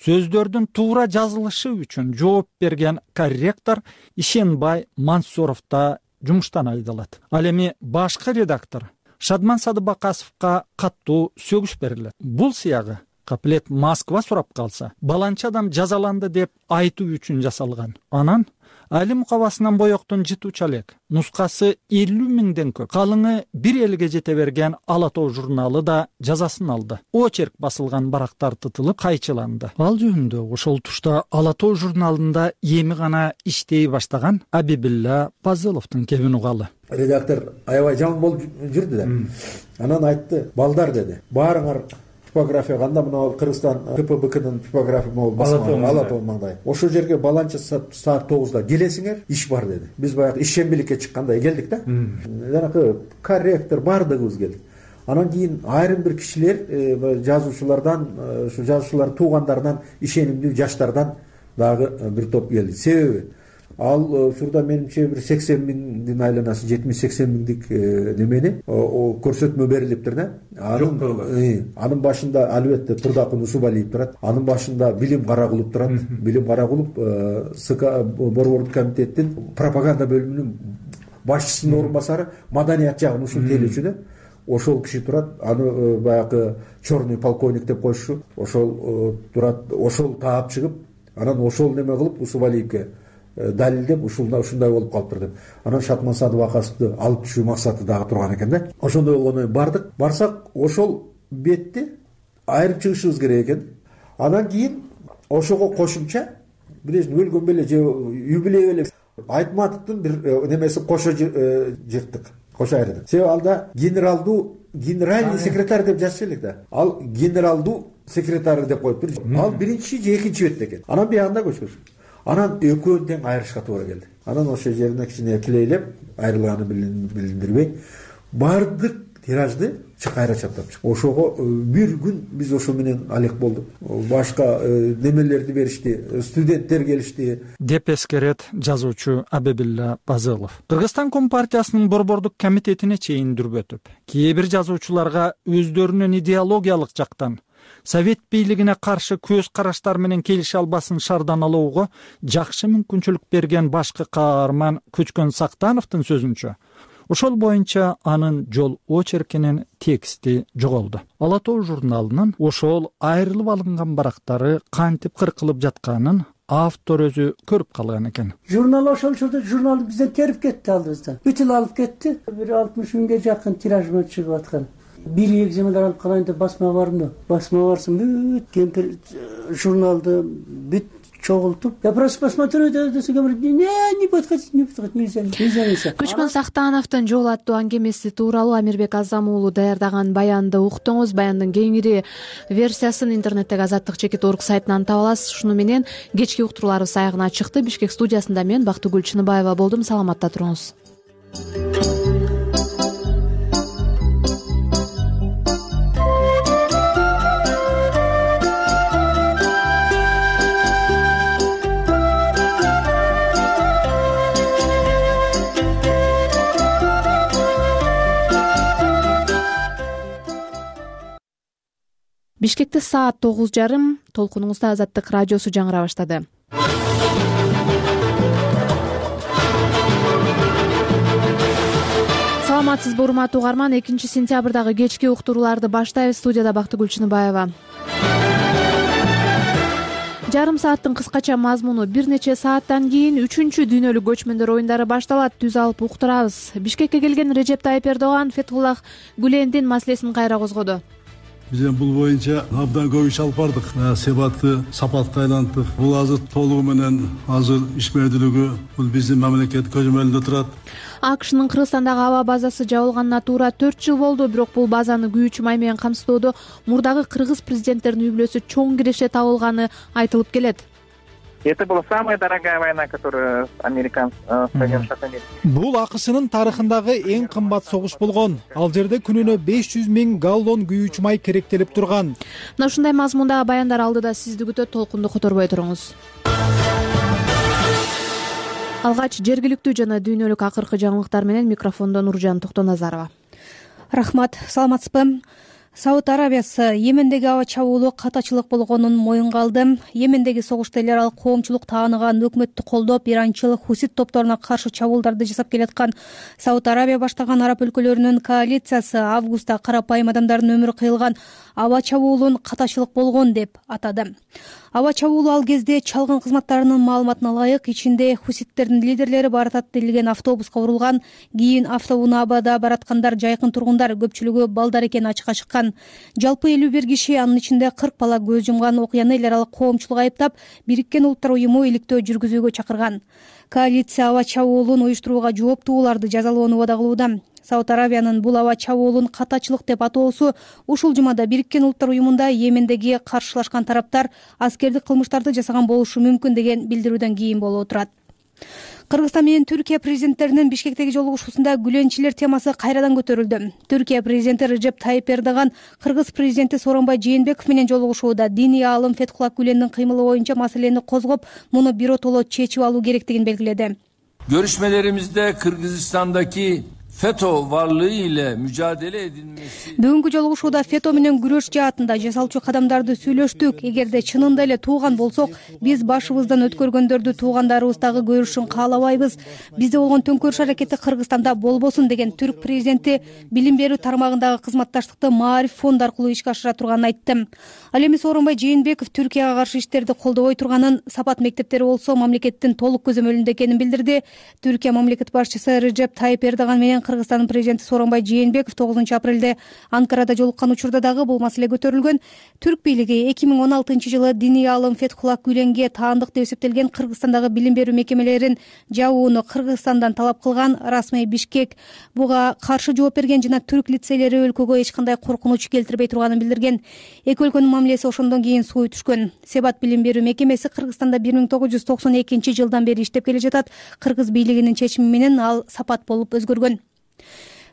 сөздөрдүн туура жазылышы үчүн жооп берген корректор Ишенбай Мансуров да жумуштан айдалат. Ал эми башкы редактор Шатман Садыбакасовго каттуу сөгүш берилет. Бул сыягы каплет Москва сурап калса, баланчы адам жазаланды деп айтуу үчүн жасалган. Анан Али мукабасынан боектун жытуучу элек нускасы 50 миңден көп. Калыңы 1 элге жете берген Ала тоо журналы да жазасын алды. Очерк басылган барактар тытылып кайчыланды. Ал жөнүндө ошол тушта Ала тоо журналында эми гана иштей баштаган Абибилла Пазыловдун кебин угалы. Редактор аябай жаман болуп жүрдү да. Анан айтты, балдар деди, баарыңар типография кандай мына Кыргызстан КПБКнын типография могул басмаган Ала тоо маңдай. Ошол жерге баланча саат 9-да келесиңер, иш бар деди. Биз баягы ишембиликке чыккандай келдик да. Жанакы корректор бардыгыбыз келдик. Анан кийин айрым бир кишилер жазуучулардан, ушу жазуучулардын туугандарынан, ишенимдүү жаштардан дагы бир топ келди. Себеби ал ушурда менимче бир 80 миңдин айланасы, 70-80 миңдик немени көрсөтмө берилиптир да. Анын башында албетте Турдакун Усубалиев турат. Анын башында Билим Карагулов турат. Билим Карагулов борбордук комитеттин пропаганда бөлүмүнүн башчысынын орун басары, маданият жагын ушунтелүүчү да. Ошол киши турат. Аны баягы черный полковник деп коюшу. Ошол турат, ошол таап чыгып, анан ошол неме кылып Усубалиевге далилдеп ушундай болуп калыптыр деп. Анан Шатман Садыбакасовду алып түшүү максаты дагы турган экен да. Ошондой болгондон бардык. Барсак ошол бетти айырып чыгышыбыз керек экен. Анан кийин ошого кошумча бирөөсүн өлгөн беле же юбилей беле Айтматовдун бир немеси кошо жырттык. Кошо айырдык. Себеби алда генеральный секретарь деп жазчу элек да. Ал генералдуу секретарь деп коюптур. Ал биринчи же экинчи бетте экен. Анан биягында көчкөн. Анан экөөнү тең айырышка туура келди. Анан ошол жерине кичине килейлеп, айрылганын билдирбей, бардык тиражды кайра чаптап чыкты. Ошого бир күн биз ошо менен алек болдук. Башка немелерди беришти, студенттер келишти. Деп эскерет жазуучу Абибилла Пазылов. Кыргызстан Компартиясынын борбордук комитетине чейин дүрбөтүп, кээ бир жазуучуларга өздөрүнүн идеологиялык жактан Совет бийлигине каршы көз караштар менен келише албасын шардан алууга жакшы мүмкүнчүлүк берген башкы каарман Көчкөн Сактановдун сөзүнчө, ошол боюнча анын жол очеркинин тексти жоголду. Ала тоо журналынын ошол айрылып алынган барактары кантип кыркылып жатканын автор өзү көрүп калган экен. Журнал ошол учурда журнал бизден терип кетти алдыбыздан. Бүтүн алып кетти. Бир 60 миңге жакын тираж менен чыгып аткан. Bir egzемляр алып калайын деп басма барымды. Басма барсын бүт кемпир журналды бүт чогултуп я просто посмотрю десе говорит не подходите нельзя. Көчкөн Сактановдун жол аттуу аңгемеси тууралуу Амирбек Азам уулу даярдаган баянды уктуңуз. Баяндын кеңири версиясын интернеттеги Азаттык чекит орг сайтынан таба аласыз. Ушуну менен кечки уктурууларыбыз аягына чыкты. Бишкек студиясында мен Бактыгүл Чыныбаева болдум. Саламатта туруңуз. Бишкекте саат 9:30. Толкунуңузда Азаттык радиосу жаңыра баштады. Саламатсызбы урматтуу угарман, 2-сентябрдагы кечки уктурууларды баштайбыз. Студияда Бактыгүл Чыныбаева. Жарым сааттын кыскача мазмуну бир нече сааттан кийин 3-дүйнөлүк көчмөндөр оюндары башталат. Түз алып уктурабыз. Бишкекке келген Режеп Тайып Эрдоган Фетхуллах Гүлендин маселесин кайра козгоду. Биз бул боюнча абдан көп иш алып бардык. Себатты сапатка айлантык. Бул азыр толугу менен азыр ишмердүүлүгү бул биздин мамлекет көзөмөлүндө турат. АКШнын Кыргызстандагы аба базасы жабылганына туура 4 жыл болду. Бирок бул базаны күйүүчү май менен камсыздоодо мурдагы кыргыз президенттеринин үй бүлөсү чоң киреше табылганы айтылып келет. Это была самая дорогая война, которая Соединенных Штатов Америки. Бул АКШнын тарыхындагы эң кымбат согуш болгон. Ал жерде күнүнө 500 000 галлон күйүүчү май керектелип турган. Мына ушундай мазмундагы баяндар алдыда сизди күтөт. Толкунду которбой туруңуз. Алгач жергиликтүү жана дүйнөлүк акыркы жаңылыктар менен микрофондо Нуржан Токтоназарова. Рахмат, саламатсызбы? Сауд Арабиясы Йемендеги аба чабуулу катачылык болгонун моюнга алды. Йемендеги согушта эл аралык коомчулук тааныган өкмөттү колдоп, иранчыл хусит топторуна каршы чабуулдарды жасап келаткан Сауд Арабия баштаган араб өлкөлөрүнүн коалициясы августта карапайым адамдардын өмүрү кыйылган аба чабуулун катачылык болгон деп атады. Аба чабуулу ал кезде чалгын кызматтарынын маалыматына ылайык ичинде хуситтердин лидерлери баратат делген автобуска урулган. Кийин автобунабада бараткандар жайкын тургундар, көпчүлүгү балдар экени ачыкка чыккан. Жалпы 51 киши, анын ичинде 40 бала көз жумган окуяны эл аралык коомчулук айыптап, Бириккен Улуттар уюму иликтөө жүргүзүүгө чакырган. Коалиция аба чабуулун уюштурууга жооптууларды жазалоону убада кылууда. Сауд Арабиянын бул аба чабуулун катачылык деп атоосу ушул жумада Бириккен Улуттар уюмунда Йемендеги каршылашкан тараптар аскердик кылмыштарды жасаган болушу мүмкүн деген билдирүүдөн кийин болуп турат. Кыргызстан менен Түркия президенттеринин Бишкектеги жолугушуусунда гүленчилер темасы кайрадан көтөрүлдү. Түркия президенти Режеп Тайып Эрдоган Кыргыз президенти Сооронбай Жээнбеков менен жолугушууда диний аалым Фетхуллах Гүлендин кыймылы боюнча маселени козгоп, муну биротоло чечип алуу керектигин белгиледи. Görüşmelerimizde Kırgızistan'daki FETÖ varlığı ile mücadele edilmesi. Бүгүнкү жолугушууда фето менен күрөш жаатында жасалчу кадамдарды сүйлөштүк. Эгерде чынында эле тууган болсок, биз башыбыздан өткөргөндөрдү туугандарыбыздагы көрүшүн каалабайбыз. Бизде болгон төңкөрүш аракети Кыргызстанда болбосун деген түрк президенти билим берүү тармагындагы кызматташтыкты Маариф фонду аркылуу ишке ашыра турганын айтты. Ал эми Сооронбай Жээнбеков Түркияга каршы иштерди колдобой турганын, Сапат мектептери болсо мамлекеттин толук көзөмөлүндө экенин билдирди. Түркия мамлекет башчысы Режеп Тайып Эрдоган менен Кыргызстандын президенти Сооронбай Жээнбеков 9 апрелде Анкарада жолуккан учурда дагы бул маселе көтөрүлгөн. Түрк бийлиги 2016 жылы диний аалым Фетхуллах Гүленге таандык деп эсептелген Кыргызстандагы билим берүү мекемелерин жабууну Кыргызстандан талап кылган. Расмий Бишкек буга каршы жооп берген жана түрк лицейлери өлкөгө эч кандай коркунуч келтирбей турганын билдирген. Эки өлкөнүн мамилеси ошондон кийин сууй түшкөн. Себат билим берүү мекемеси Кыргызстанда 1992 жылдан бери иштеп келе жатат. Кыргыз бийлигинин чечими менен ал Сапат болуп өзгөргөн.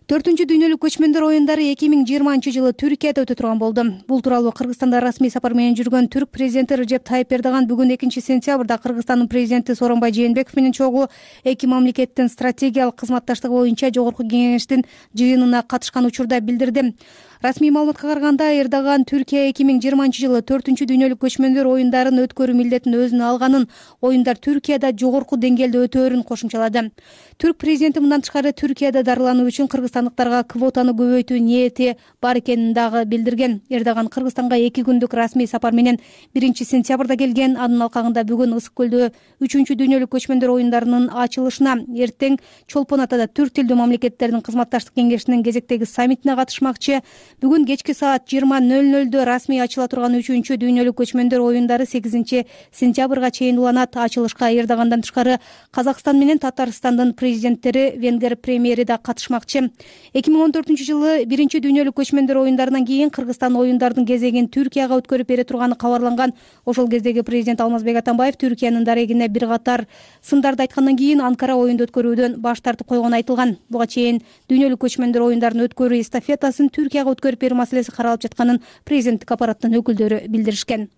4-дүйнөлүк көчмөндөр оюндары 2020 жылы Түркияда өтө турган болду. Бул тууралуу Кыргызстанда расмий сапар менен жүргөн түрк президенти Режеп Тайып Эрдоган бүгүн 2-сентябрда Кыргызстандын президенти Сооронбай Жээнбеков менен чогуу эки мамлекеттин стратегиялык кызматташтыгы боюнча жогорку кеңештин жыйынына катышкан учурда билдирди. Расмий маалыматка караганда Эрдоган Түркия 2020 жылы 4-дүйнөлүк көчмөндөр оюндарын өткөрүү милдетин өзүнө алганын, оюндар Түркияда жогорку деңгээлде өтөөрүн кошумчалады. Түрк президенти мындан тышкары Түркияда дарылануу үчүн кыргызстандыктарга квотаны көбөйтүү ниети бар экенин дагы билдирген. Эрдоган Кыргызстанга 2 күндүк расмий сапар менен 1-сентябрда келген. Анын алкагында бүгүн Ысык көлдө 3-дүйнөлүк көчмөндөр оюндарынын ачылышына, эртең Чолпон Атада түрк тилдүү мамлекеттердин кызматташтык кеңешинин кезектеги саммитине катышмакчы. Бүгүн кечки саат 20:00 расмий ачыла турган 3-чү дүйнөлүк көчмөндөр оюндары 8-сентябрга чейин уланат. Ачылышка Эрдогандан тышкары Казакстан менен Татарстандын президенттери, Венгер премьери да катышмакчы. 2014-жылы 1-чү дүйнөлүк көчмөндөр оюндарынан кийин Кыргызстан оюндардын кезегин Түркияга өткөрүп бере турганы кабарланган. Ошол кездеги президент Алмазбек Атамбаев Түркиянын дарегине бир катар сындарды айткандан кийин Анкара оюнду өткөрүүдөн баш тартып койгону айтылган. Буга чейин дүйнөлүк көчмөндөр оюндарын өткөрүү эстафетасын Түркияга өткөрүп берүү маселеси каралып жатканын президенттик аппараттын өкүлдөрү билдиришкен.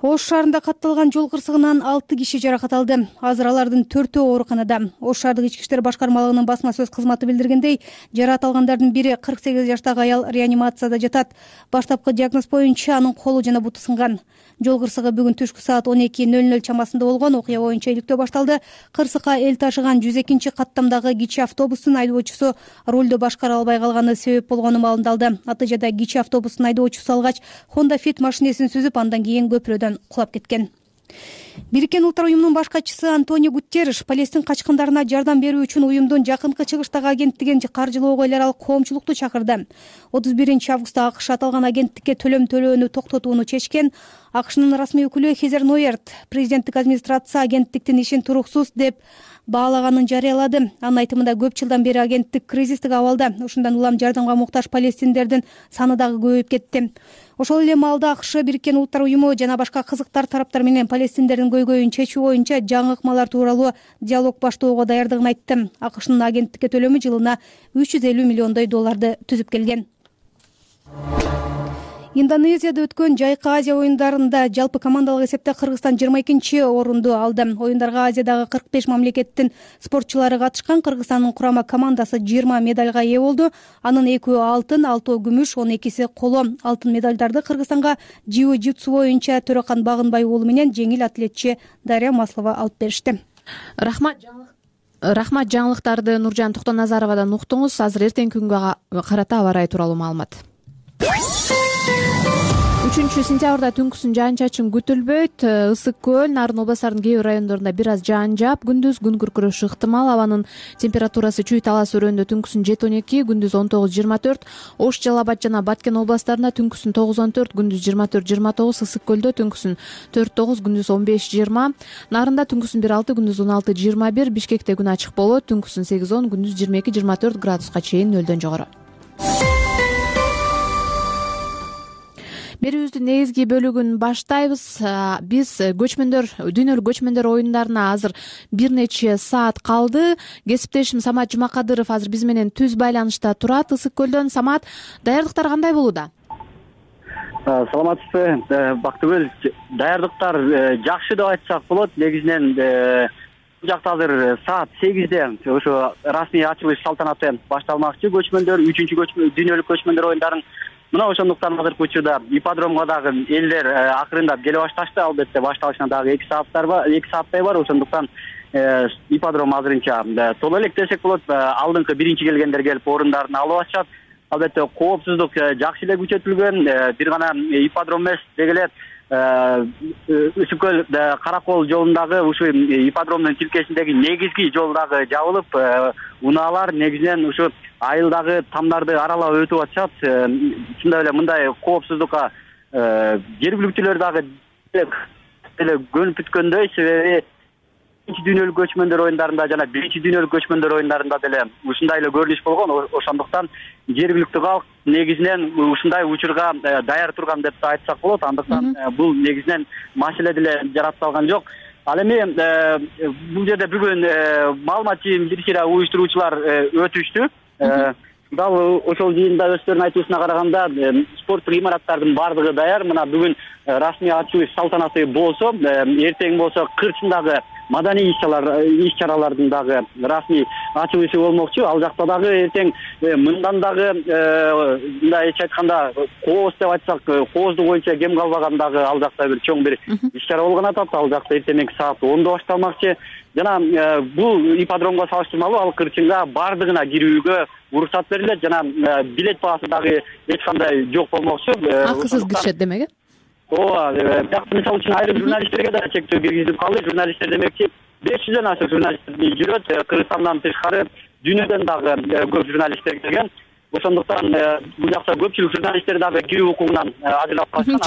Ош шаарында катталган жол кырсыгынан 6 киши жаракат алды. Азыр алардын 4-өө ооруканада. Ош шаардык ички иштер башкармалыгынын басма сөз кызматы билдиргендей, жаракат алгандардын бири 48 жаштагы аял реанимацияда жатат. Баштапкы диагноз боюнча анын колу жана буту сынган. Жол кырсыгы бүгүн түшкү саат 12:00 чамасында болгон. Окуя боюнча иликтөө башталды. Кырсыкка эл ташыган 102 каттамдагы кичи автобустун айдоочусу рулду башкара албай калганы себеп болгону маалымдалды. Натыйжада кичи автобустун айдоочусу алгач Honda Fit машинесин сүзүп, андан кийин көпүрөдөн кулап кеткен. Бириккен Улуттар уюмунун баш катчысы Антонио Гутерриш Палестин качкындарына жардам берүү үчүн уюмдун жакынкы чыгыштагы агенттигин каржылоого эл аралык коомчулукту чакырды. 31-августта АКШ аталган агенттикке төлөм төлөөнү токтотууну чечкен. АКШнын расмий өкүлү Хезер Нойерт президенттик администрация агенттиктин ишин туруксуз деп баалаганын жарыялады. Анын айтымында көп жылдан бери агенттик кризистик абалда. Ушундан улам жардамга муктаж палестиндердин саны дагы көбөйүп кетти. Ошол эле маалда АКШ Бириккен Улуттар уюму жана башка кызыктар тараптар менен палестиндердин көйгөйүн чечүү боюнча жаңы ыкмалар тууралуу диалог баштоого даярдыгын айтты. АКШнын агенттикке төлөмү жылына $350 миллион түзүп келген. Индонезияда өткөн Жайкы Азия оюндарында жалпы командалык эсепте Кыргызстан 22-чи орунду алды. Оюндарга Азиядагы 45 мамлекеттин спортчулары катышкан. Кыргызстандын курама командасы 20 медальга ээ болду. Анын 2 алтын, 6 күмүш, 12 коло. Алтын медальдарды Кыргызстанга jiu-jitsu боюнча Төрөкан Багынбай уулу менен жеңил атлетчи Дарья Маслова алып беришти. Рахмат, жаңылыктарды Нуржан Токтоназаровадан уктуңуз. Азыр эртеңки күнгө карата аба ырайы тууралуу маалымат. 3-сентябрда түнкүсүн жаан-чачын күтүлбөйт. Ысык көл, Нарын областарынын кээ бир райондорунда бир аз жаан жаап, күндүз күн күркүрөшү ыктымал. Абанын температурасы Чүй-Талас өрөөнүндө түнкүсүн 7-12, күндүз 19-24. Ош, Жалал Абад жана Баткен областарында түнкүсүн 9-14, күндүз 24-29. Ысык көлдө түнкүсүн 4-9, күндүз 15-20. Нарында түнкүсүн 1-6, күндүз 16-21. Бишкекте күн ачык болот, түнкүсүн 8-10, күндүз 22-24 градуска чейин нөлдөн жогору. Берүүбүздүн негизги бөлүгүн баштайбыз. Биз дүйнөлүк көчмөндөр оюндарына азыр бир нече саат калды. Кесиптешим Самат Жумакадыров азыр биз менен түз байланышта турат. Ысык көлдөн. Самат, даярдыктар кандай болууда? Саламатсызбы, Бактыгүл. Даярдыктар жакшы деп айтсак болот. Негизинен бул жакта азыр саат 8-де ошо расмий ачылыш салтанаты башталмакчы. Көчмөндөр 3-чү дүйнөлүк көчмөндөр оюндарын мына ошондуктан азыркы учурда ипподромго дагы элдер акырындап келе башташты. Албетте башталышына дагы 2 сааттай бар. Ошондуктан ипподром азырынча толо элек десек болот. Алдыңкы биринчи келгендер келип орундарын алып атышат. Албетте коопсуздук жакшы эле күчөтүлгөн. Бир гана ипподром эмес, деги эле Ысык көл Каракол жолундагы ушу ипподромдун тилкесиндеги негизги жол дагы жабылып, унаалар негизинен ушу айылдагы тамдарды аралап өтүп атышат. Чындап эле мындай коопсуздукка жергиликтүүлөр дагы эле көнүп бүткөндөй, себеби дүйнөлүк көчмөндөр оюндарында жана 1-дүйнөлүк көчмөндөр оюндарында деле ушундай эле көрүнүш болгон. Ошондуктан жергиликтүү калк негизинен ушундай учурга даяр турган деп айтсак болот. Андыктан бул негизинен маселе деле жараткалган жок. Ал эми бул жерде бүгүн маалымат жыйын бир уюштуруучулар өтүштү. Дал ошол жыйында өздөрүнүн айтуусуна караганда спорттук имараттардын баардыгы даяр. Мына бүгүн расмий ачылыш салтанаты болсо, эртең болсо Кырчындагы маданий иш-чаралардын дагы расмий ачылышы болмокчу. Ал жакта дагы эртең мындан дагы мындай айтканда кооз деп айтсак, коозду боюнча кем калбаган дагы ал жакта бир чоң бир иш-чара болгон атат. Ал жакта эртеңки саат 10-да башталмакчы. Жана бул ипподромго салыштырмалуу ал Кырчынга баардыгына кирүүгө уруксат берилет жана билет баасы дагы эч кандай жок болмокчу. Акысыз киришет демек э? Ооба, бияка мисалы үчүн айрым журналисттерге да чектөө киргизилип калды. Журналисттер демекчи 500дөн ашык журналисттер жүрөт. Кыргызстандан тышкары дүйнөдөн дагы көп журналисттер келген. Ошондуктан бул жакта көпчүлүк журналисттер дагы кирүү укугунан ажырап калышкан.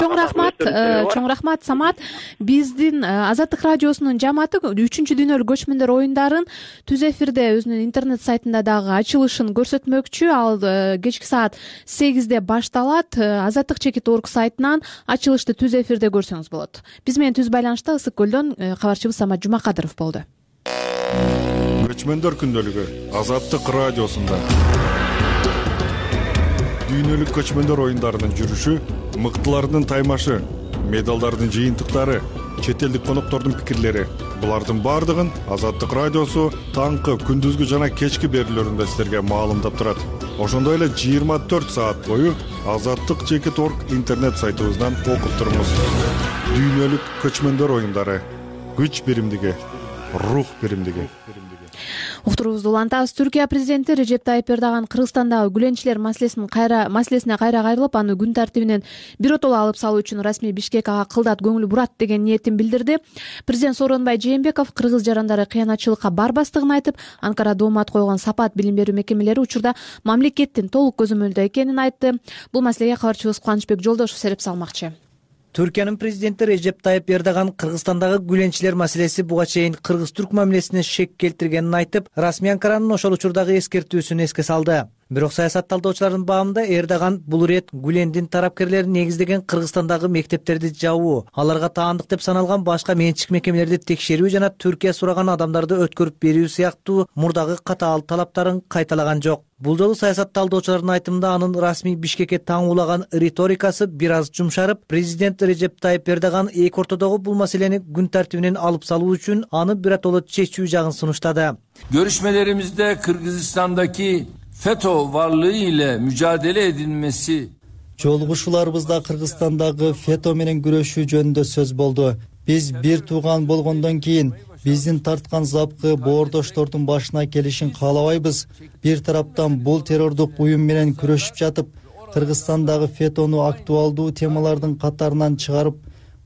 Чоң рахмат Самат. Биздин Азаттык радиосунун жамааты 3 дүйнөлүк көчмөндөр оюндарын түз эфирде өзүнүн интернет сайтында дагы ачылышын көрсөтмөкчү. Ал кечки саат 8-де башталат. Azattik.org сайтынан ачылышты түз эфирде көрсөңүз болот. Биз менен түз байланышта Ысык көлдөн кабарчыбыз Самат Жумакадыров болду. Көчмөндөр күндөлүгү Азаттык радиосунда. Дүйнөлүк көчмөндөр оюндарынын жүрүшү, мыктылардын таймашы, медалдардын жыйынтыктары, чет элдик коноктордун пикирлери. Булардын бардыгын Азаттык радиосу таңкы, күндүзгү жана кечки берүүлөрүндө силерге маалымдап турат. Ошондой эле 24 саат бою Azattik.org интернет сайтыбыздан окуп туруңуз. Дүйнөлүк көчмөндөр оюндары, күч биримдиги, рух биримдиги. Уктуруубузду улантабыз. Түркия президенти Режеп Тайып Эрдоган Кыргызстандагы гүленчилер маселесине кайра кайрылып, аны күн тартибинен биротоло алып салуу үчүн расмий Бишкек ага кылдат көңүл бурат деген ниетин билдирди. Президент Сооронбай Жээнбеков кыргыз жарандары кыянатчылыкка барбастыгын айтып, Анкара доомат койгон Сапат билим берүү мекемелери учурда мамлекеттин толук көзөмөлүндө экенин айтты. Бул маселеге кабарчыбыз Кубанычбек Жолдошев сереп салмакчы. Түркиянын президенти Режеп Тайып Эрдоган Кыргызстандагы гүленчилер маселеси буга чейин кыргыз-түрк мамилесине шек келтиргенин айтып, расмий Анкаранын ошол учурдагы эскертүүсүн эске салды. Бирок саясат талдоочулардын баамында Эрдоган бул ирет Гүлендин тарапкерлерин негиздеген Кыргызстандагы мектептерди жабуу, аларга таандык деп саналган башка менчик мекемелерди текшерүү жана Түркия сураган адамдарды өткөрүп берүү сыяктуу мурдагы катаал талаптарын кайталаган жок. Бул жолу саясат талдоочулардын айтымында анын расмий Бишкекке таңуулаган риторикасы бир аз жумшарып, президент Режеп Тайып Эрдоган эки ортодогу бул маселени күн тартибинен алып салуу үчүн аны биротоло чечүү жагын сунуштады. Görüşmelerimizde Kırgızistan'daki FETÖ varlığı ile mücadele edilmesi. Жолугушууларыбызда Кыргызстандагы ФЕТÖ менен күрөшүү жөнүндө сөз болду. Биз бир тууган болгондон кийин биздин тарткан запкы боордоштордун башына келишин каалабайбыз. Бир тараптан бул террордук уюм менен күрөшүп жатып, Кыргызстандагы ФЕТÖнү актуалдуу темалардын катарынан чыгарып,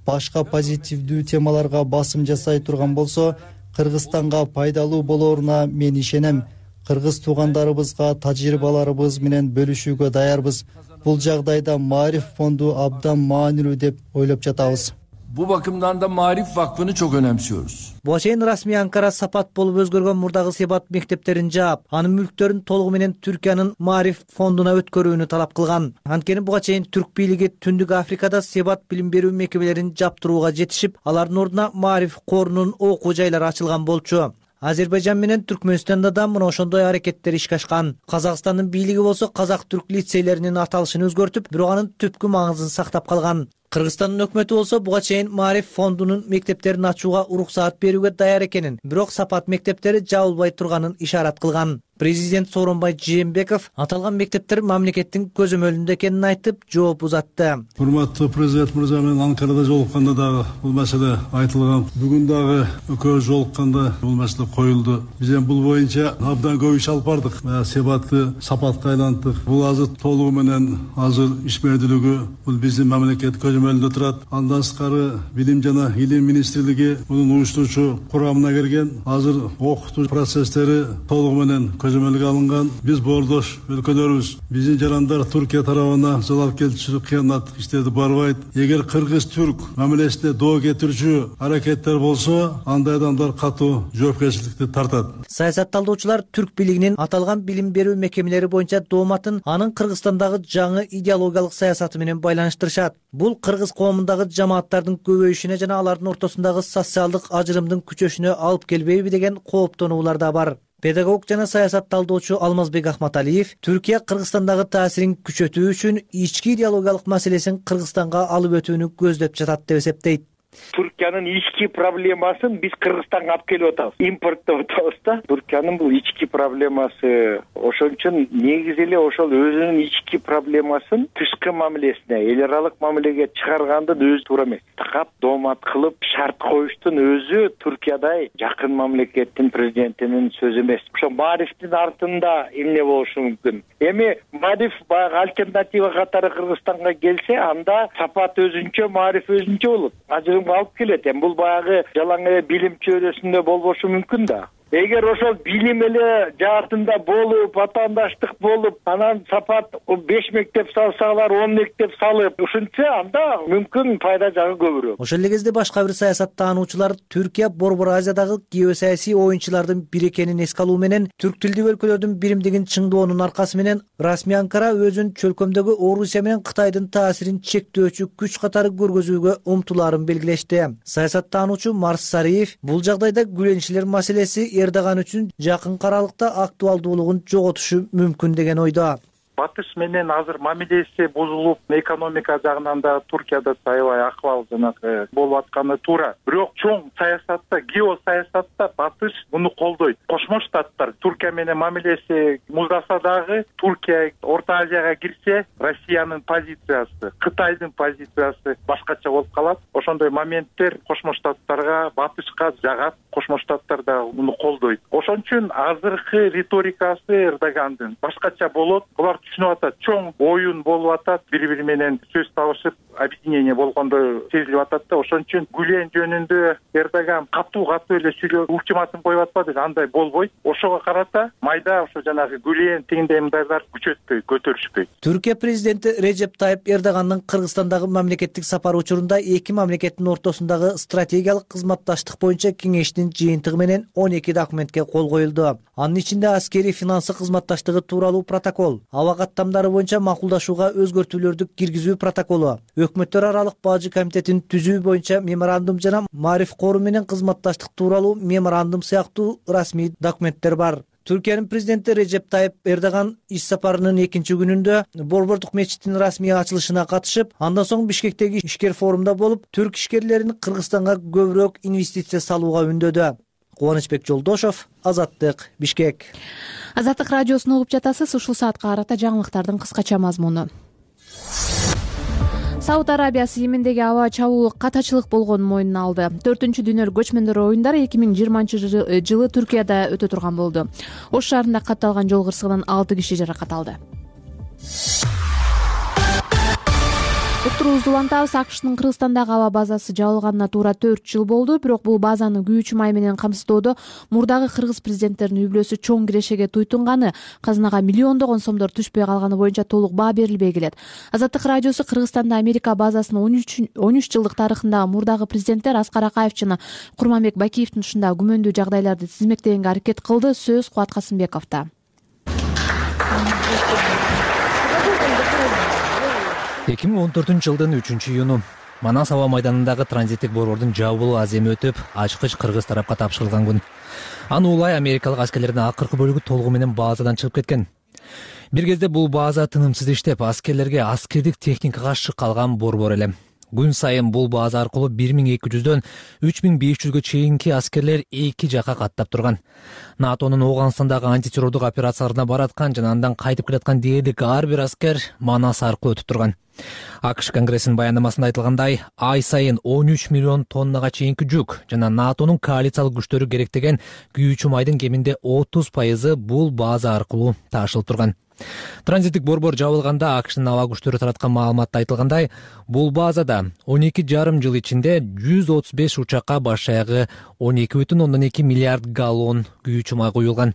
башка позитивдүү темаларга басым жасай турган болсо, Кыргызстанга пайдалуу болоруна мен ишенем. Кыргыз туугандарыбызга тажрыйбаларыбыз менен бөлүшүүгө даярбыз. Бул жагдайда Маариф фонду абдан маанилүү деп ойлоп жатабыз. Bu bakımdan da Maarif Vakfı'nı çok önemsiyoruz. Буга чейин расмий Анкара Сапат болуп өзгөргөн мурдагы Себат мектептерин жаап, анын мүлктөрүн толугу менен Түркиянын Маариф фондуна өткөрүүнү талап кылган. Анткени буга чейин түрк бийлиги Түндүк Африкада Себат билим берүү мекемелерин жаптырууга жетишип, алардын ордуна Маариф корунун окуу жайлары ачылган болчу. Азербайжан менен Түркмөнстанда да мына ошондой аракеттер ишке ашкан. Казакстандын бийлиги болсо казак-түрк лицейлеринин аталышын өзгөртүп, бирок анын түпкү маңызын сактап калган. Кыргызстандын өкмөтү болсо буга чейин Маариф фондунун мектептерин ачууга уруксаат берүүгө даяр экенин, бирок Сапат мектептери жабылбай турганын ишарат кылган. Президент Сооронбай Жээнбеков аталган мектептер мамлекеттин көзөмөлүндө экенин айтып, жооп узатты. Урматтуу президент мырза менен Анкарада жолукканда дагы бул маселе айтылган. Бүгүн дагы экөөбүз жолукканда бул маселе коюлду. Биз эми бул боюнча абдан көп иш алып бардык. Себатты Сапатка айлантык. Бул азыр толугу менен азыр ишмердүүлүгү бул биздин мамлекет көзөмөлүндө турат. Андан сырткары билим жана илим министрлиги мунун уюштуруучу курамына кирген. Азыр окутуу процесстери толугу менен көзөмөлгө алынган. Биз боордош өлкөлөрүбүз, биздин жарандар Түркия тарабына залал келтирүүчү кыянат иштерди барбайт. Эгер кыргыз-түрк мамилесине доо кетирүүчү аракеттер болсо, андай адамдар катуу жоопкерчиликти тартат. Саясат талдоочулар түрк бийлигинин аталган билим берүү мекемелери боюнча дооматын анын Кыргызстандагы жаңы идеологиялык саясаты менен байланыштырышат. Бул кыргыз коомундагы жамааттардын көбөйүшүнө жана алардын ортосундагы социалдык ажырымдын күчөшүнө алып келбейби деген кооптонуулар да бар. Педагог жана саясат талдоочу Алмазбек Ахматалиев Түркия Кыргызстандагы таасирин күчөтүү үчүн ички идеологиялык маселесин Кыргызстанга алып өтүүнү көздөп жатат деп эсептейт. Түркиянын ички проблемасын биз Кыргызстанга алып келип атабыз. Импорттоп атабыз да. Түркиянын бул ички проблемасы. Ошон үчүн негизи эле ошол өзүнүн ички проблемасын тышкы мамилесине, эл аралык мамилеге чыгаргандын өзү туура эмес. Такап доомат кылып шарт коюштун өзү Түркиядай жакын мамлекеттин президентинин сөзү эмес. Ошо Маарифтин артында эмне болушу мүмкүн? Эми Маариф баягы альтернатива катары Кыргызстанга келсе, анда Сапат өзүнчө, Маариф өзүнчө болот. Алып келет. Бул баягы жалаң эле билим чөйрөсүндө болбошу мүмкүн да. эгер ошол билим эле жаатында болуп, атаандаштык болуп, анан сапат 5 мектеп салсалар, 10 мектеп салып ушунча, анда мүмкүн пайда жагы көбүрөөк. Ошол эле кезде башка бир саясаттануучулар Түркия Борбор Азиядагы геосаясий оюнчулардын бири экенин эске алуу менен түрк тилдүү өлкөлөрдүн биримдигин чыңдоонун аркасы менен расмий Анкара өзүн чөлкөмдөгү Орусия менен Кытайдын таасирин чектөөчү күч катары көргөзүүгө умтулаарын белгилешти. Саясаттануучу Марс Сариев бул жагдайда гүлөнчүлөр маселеси Эрдоган үчүн жакын аралыкта актуалдуулугун жоготушу мүмкүн деген ойдо. Батыш менен азыр мамилеси бузулуп, экономика жагынан да Туркияда аябай акыбал жанагы болуп атканы туура. Бирок чоң саясатта, геосаясатта Батыш муну колдойт. Кошмо Штаттар Туркия менен мамилеси муздаса дагы, Туркия Орто Азияга кирсе, Россиянын позициясы, Кытайдын позициясы башкача болуп калат. Ошондой моменттер Кошмо Штаттарга, Батышка жагат. Кошмо Штаттар да муну колдойт. Ошон үчүн азыркы риторикасы Эрдогандын башкача болот. Булар түшүнүп атат, чоң оюн болуп атат, бири-бири менен сөз табышып, объединение болгондой сезилип атат да. Ошон үчүн Гүлен жөнүндө Эрдоган катуу эле сүйлөп, ультиматум коюп атпады, андай болбойт. Ошого карата майда ошо жанагы Гүлен тигиндей мындайлар күчөтпөйт, көтөрүшпөйт. Түркия президенти Режеп Тайып Эрдогандын Кыргызстандагы мамлекеттик сапары учурунда эки мамлекеттин ортосундагы стратегиялык кызматташтык боюнча кеңештин жыйынтыгы менен 12 документке кол коюлду. Анын ичинде аскери финансы кызматташтыгы тууралуу протокол, аба каттамдары боюнча макулдашууга өзгөртүүлөрдү киргизүү протоколу, өкмөттөр аралык бажы комитетин түзүү боюнча меморандум жана Маариф кору менен кызматташтык тууралуу меморандум сыяктуу расмий документтер бар. Түркиянын президенти Режеп Тайып Эрдоган иш сапарынын экинчи күнүндө Борбордук мечиттин расмий ачылышына катышып, андан соң Бишкектеги ишкер форумда болуп, түрк ишкерлерин Кыргызстанга көбүрөөк инвестиция салууга үндөдү. Кубанычбек Жолдошов, Азаттык, Бишкек. Азаттык радиосун угуп жатасыз. Ушул саатка карата жаңылыктардын кыскача мазмуну. Сауд Арабиясы Йемендеги аба чабуул катачылык болгонун мойнуна алды. 4-дүйнөлүк көчмөндөр оюндары 2020 жылы Түркияда өтө турган болду. Ош шаарында катталган жол кырсыгынан 6 киши жаракат алды. Уктуруубузду улантабыз. АКШнын Кыргызстандагы аба базасы жабылганына туура 4 жыл болду, бирок бул базаны күйүүчү май менен камсыздоодо мурдагы кыргыз президенттеринин үй бүлөсү чоң кирешеге туйтунганы, казынага миллиондогон сомдор түшпөй калганы боюнча толук баа берилбей келет. Азаттык радиосу Кыргызстанда Америка базасынын 13 жылдык тарыхындагы мурдагы президенттер Аскар Акаев жана Курманбек Бакиевдин ушундай күмөндүү жагдайларды тизмектегенге аракет кылды. Сөз Кубат Касымбековдо. 2014 жылдын 3-июну Манас аба майданындагы транзиттик борбордун жабылуу аземи өтүп, ачкыч кыргыз тарапка тапшырылган күн. Аны улай америкалык аскерлердин акыркы бөлүгү толугу менен базадан чыгып кеткен. Бир кезде бул база тынымсыз иштеп, аскерлерге аскердик техникага шык калган борбор эле. Күн сайын бул база аркылуу 1200дөн 3500гө чейинки аскерлер эки жака каттап турган. НАТОнун Ооганстандагы антитеррордук операцияларына бараткан жана андан кайтып келаткан дээрлик ар бир аскер Манас аркылуу өтүп турган. АКШ Конгрессинин баяндамасында айтылгандай, ай сайын 13 миллион тоннага чейинки жүк жана НАТОнун коалициялык күчтөрү керектеген күйүүчү майдын кеминде 30% бул база аркылуу ташылып турган. Транзиттик борбор жабылганда АКШнын аба күчтөрү тараткан маалыматта айтылгандай, бул базада 12,5 жыл ичинде 135 учакка баш аягы 12,2 миллиард галлон күйүүчү май куюлган.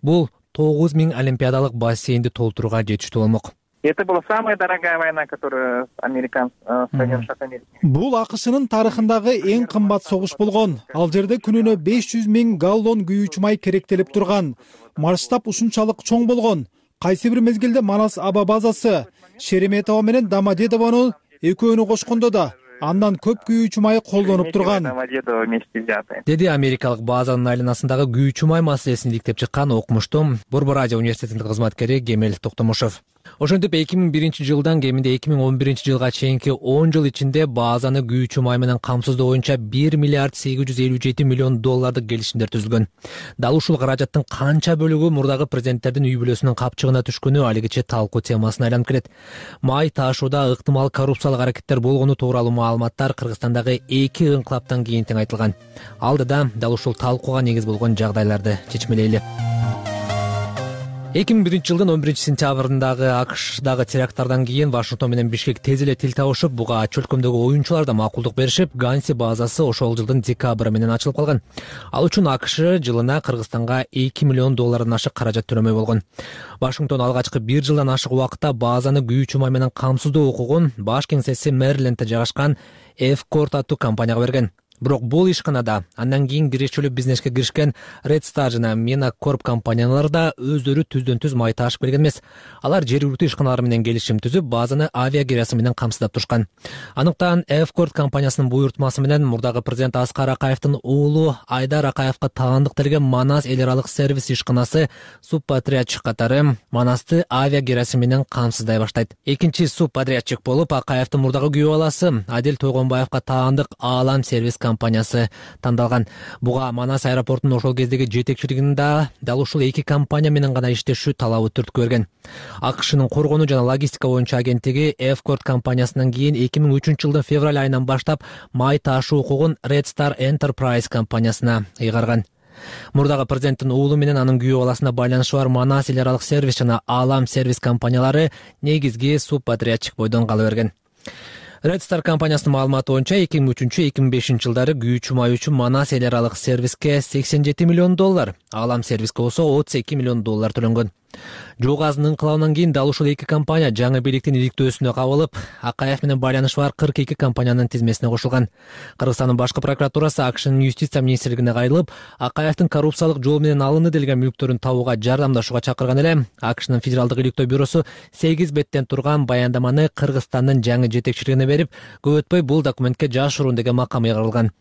Бул 9000 олимпиадалык бассейнди толтурууга жетиштүү болмок. Это была самая дорогая война, которую американцы Соединенных Штатов Америки. Бул АКШнын тарыхындагы эң кымбат согуш болгон. Ал жерде күнүнө 500 000 галлон күйүүчү май керектелип турган. Масштаб ушунчалык чоң болгон. Кайсы бир мезгилде Манас аба базасы Шереметова менен Домодедовону экөөнү кошкондо да андан көп күйүүчү май колдонуп турган, деди америкалык базанын айланасындагы күйүүчү май маселесин иликтеп чыккан окумуштуу Борбор Азия университетинин кызматкери Кемел Токтомушев. Ошентип 2001 жылдан кеминде 2011 жылга чейинки 10 жыл ичинде базаны күйүүчү май менен камсыздоо боюнча 1 миллиард 857 миллион доллардык келишимдер түзүлгөн. Дал ушул каражаттын канча бөлүгү мурдагы президенттердин үй бүлөсүнүн капчыгына түшкөнү алигиче талкуу темасына айланып келет. Май ташууда ыктымал коррупциялык аракеттер болгону тууралуу маалыматтар Кыргызстандагы эки ыңкылаптан кийин тең айтылган. Алдыда дал ушул талкууга негиз болгон жагдайларды чечмелейли. 2001 жылдын 11 сентябрындагы АКШдагы теракттардан кийин Вашингтон менен Бишкек тез эле тил табышып, буга чөлкөмдөгү оюнчулар да макулдук беришип, Ганси базасы ошол жылдын декабры менен ачылып калган. Ал үчүн АКШ жылына Кыргызстанга $2 миллион ашык каражат төлөмөй болгон. Вашингтон алгачкы 1 жылдан ашык убакытта базаны күйүүчү май менен камсыздоо укугун баш кеңсеси Мэрилендте жайгашкан F-Corp аттуу компанияга берген. Бирок бул ишканада андан кийин кирешелүү бизнеске киришкен Red Star жана Mina Corp компаниялары да өздөрү түздөн-түз май ташып келген эмес. Алар жергиликтүү ишканалар менен келишим түзүп, базаны авиа кирасы менен камсыздап турушкан. Аныктан F-Corp компаниясынын буйртмасы менен мурдагы президент Аскар Акаевдин уулу Айдар Акаевга таандыкталган Манас эл аралык сервис ишканасы субподрядчик катары Манасты авиа кирасы менен камсыздай баштайт. Экинчи субподрядчик болуп Акаевдин мурдагы күйөө баласы Адил Тойгонбаевга таандык Алам сервис компаниясы тандалган. Буга Манас аэропортунун ошол кездеги жетекчилигинин дал ушул эки компания менен гана иштешүү талабы түрткү берген. АКШнын коргонуу жана логистика боюнча агенттиги F-Corp компаниясынан кийин 2003 жылдын февраль айынан баштап май ташуу укугун Red Star Enterprise компаниясына ыйгарган. Мурдагы президенттин уулу менен анын күйөө баласына байланышы бар Манас эл аралык сервис жана Алам сервис компаниялары негизги субподрядчик бойдон кала берген. Red Star компаниясынын маалыматы боюнча 2003-2005 жылдары күйүүчү май үчүн Манас эл аралык сервиске $87 миллион, Алам сервиске болсо $32 миллион төлөнгөн. Жоо газынын ыңкылабынан кийин дал ушул эки компания жаңы бийликтин иликтөөсүнө кабылып, Акаев менен байланышы бар 42 компаниянын тизмесине кошулган. Кыргызстандын башкы прокуратурасы АКШнын юстиция министрлигине кайрылып, Акаевдин коррупциялык жол менен алынды делген мүлктөрүн табууга жардамдашууга чакырган эле. АКШнын федералдык иликтөө бюросу 8 беттен турган баяндаманы Кыргызстандын жаңы жетекчилигине берип, көп өтпөй бул документке жашыруун деген макам ыйгарылган.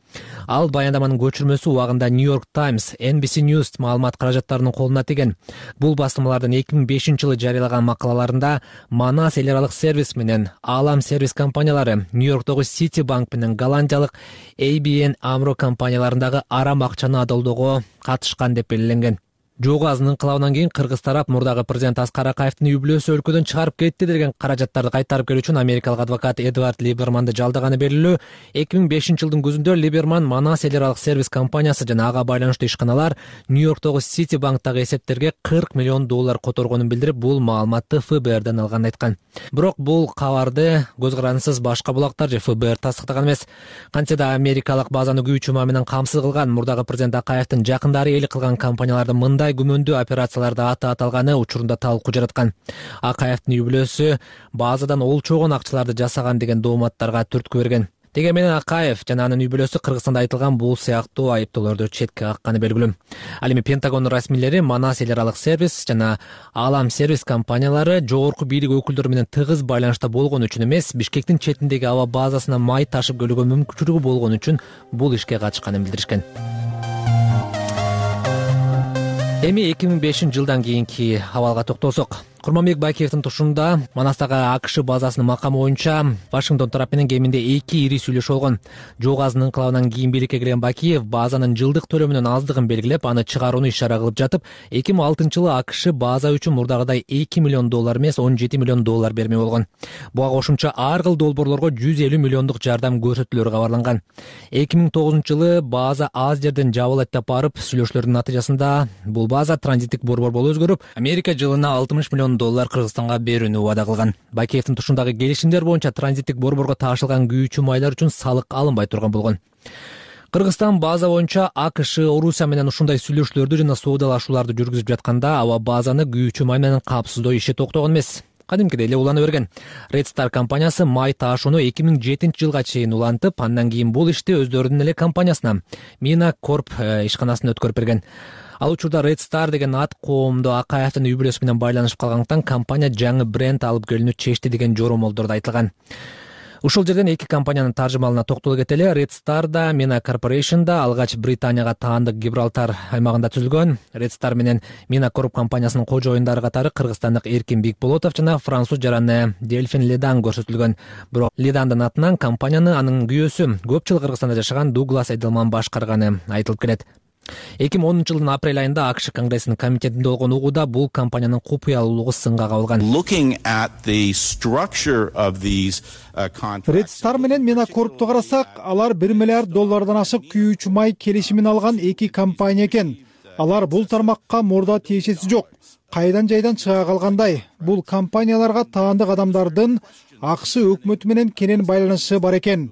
Ал баяндаманын көчүрмөсү убагында New York Times, NBC News маалымат каражаттарынын колуна тийген. Бул басылмалардын 2005 жылы жарыялаган макалаларында Манас эл аралык сервис менен Алам сервис компаниялары, Нью-Йорктогу Citibank менен голландиялык ABN AMRO компанияларындагы арам акчаны адалдоого катышкан деп белгиленген. Жоо газынын ыңкылабынан кийин кыргыз тарап мурдагы президент Аскар Акаевдин үй-бүлөсү өлкөдөн чыгарып кетти деген каражаттарды кайтарып келүү үчүн америкалык адвокат Эдвард Либерманды жалдаганы белгилүү. 2005 жылдын күзүндө Либерман Манас эл аралык сервис компаниясы жана ага байланыштуу ишканалар Нью-Йорктогу Citibank'тагы эсептерге $40 миллион которгонун билдирип, бул маалыматты ФБРден алганын айткан. Бирок бул кабарды көз карандысыз башка булактар же ФБР тастыктаган эмес. Кантсе да америкалык базаны күйүүчү май менен камсыз кылган мурдагы президент Акаевдин жакындары ээлик кылган компаниялардын мындай күмөндүү операцияларда аты аталганы учурунда талкуу жараткан. Акаевдин үй-бүлөсү базадан олчогон акчаларды жасаган деген дооматтарга түрткү берген. Деге менен Акаев жана анын үй-бүлөсү Кыргызстанда айтылган бул сыяктуу айыптоолорду четке какканы белгилүү. Ал эми Пентагон расмийлери Манас эл аралык сервис жана Алам сервис компаниялары жогорку бийлик өкүлдөрү менен тыгыз байланышта болгон үчүн эмес, Бишкектин четиндеги аба базасына май ташып келүүгө мүмкүнчүлүгү болгон үчүн бул ишке катышканын билдиришкен. Эми 2005 жылдан кийинки абалга токтолсок, Курманбек Бакиевдин тушунда Манастагы АКШ базасынын макамы боюнча Вашингтон тарап менен кеминде 2 ири сүйлөшүү болгон. Жоо газынын ыңкылабынан кийин бийликке келген Бакиев базанын жылдык төлөмүнүн аздыгын белгилеп, аны чыгарууну ишара кылып жатып, 2006 жылы АКШ база үчүн мурдагыдай $2 миллион эмес, $17 миллион бермей болгон. Буга кошумча ар кыл долбоорлорго $150 миллиондук жардам көрсөтүлөрү кабарланган. 2009 жылы база аз жерден жабылат деп барып, сүйлөшүүлөрдүн натыйжасында бул база транзиттик борбор болуп өзгөрүп, Америка жылына $60 миллион Кыргызстанга берүүнү убада кылган. Бакиевдин тушундагы келишимдер боюнча транзиттик борборго ташылган күйүүчү майлар үчүн салык алынбай турган болгон. Кыргызстан база боюнча АКШ Орусия менен ушундай сүйлөшүүлөрдү жана соодалашууларды жүргүзүп жатканда аба базаны күйүүчү май менен камсыздоо иши токтогон эмес. Кадимкидей эле улана берген. Red Star компаниясы май ташууну 2007 жылга чейин улантып, андан кийин бул ишти өздөрүнүн эле компаниясына Mina Corp ишканасына өткөрүп берген. Ал учурда Red Star деген ат коомдо Акаевдин үй-бүлөсү менен байланышып калгандыктан компания жаңы бренд алып келүүнү чечти деген жоромолдорду айтылган. Ушул жерден эки компаниянын таржымалына токтолуп кетели. Red Star да Mina Corporation да алгач Британияга таандык Гибралтар аймагында түзүлгөн. Red Star менен Mina Corp компаниясынын кожоюндары катары кыргызстандык Эркин Бекболотов жана француз жараны Дельфин Ледан көрсөтүлгөн. Бирок Ледандын атынан компанияны анын күйөөсү көп жыл Кыргызстанда жашаган Дуглас Эделман башкарганы айтылып келет. 2010 жылдын апрель айында АКШ Конгрессинин комитетинде болгон угууда бул компаниянын купуялуулугу сынга кабылган. Red Star менен Mina Corp'ту карасак, алар $1 миллиард ашык күйүүчү май келишимин алган эки компания экен. Алар бул тармакка мурда тиешеси жок. кайдан жайдан чыга калгандай. Бул компанияларга таандык адамдардын АКШ өкмөтү менен кенен байланышы бар экен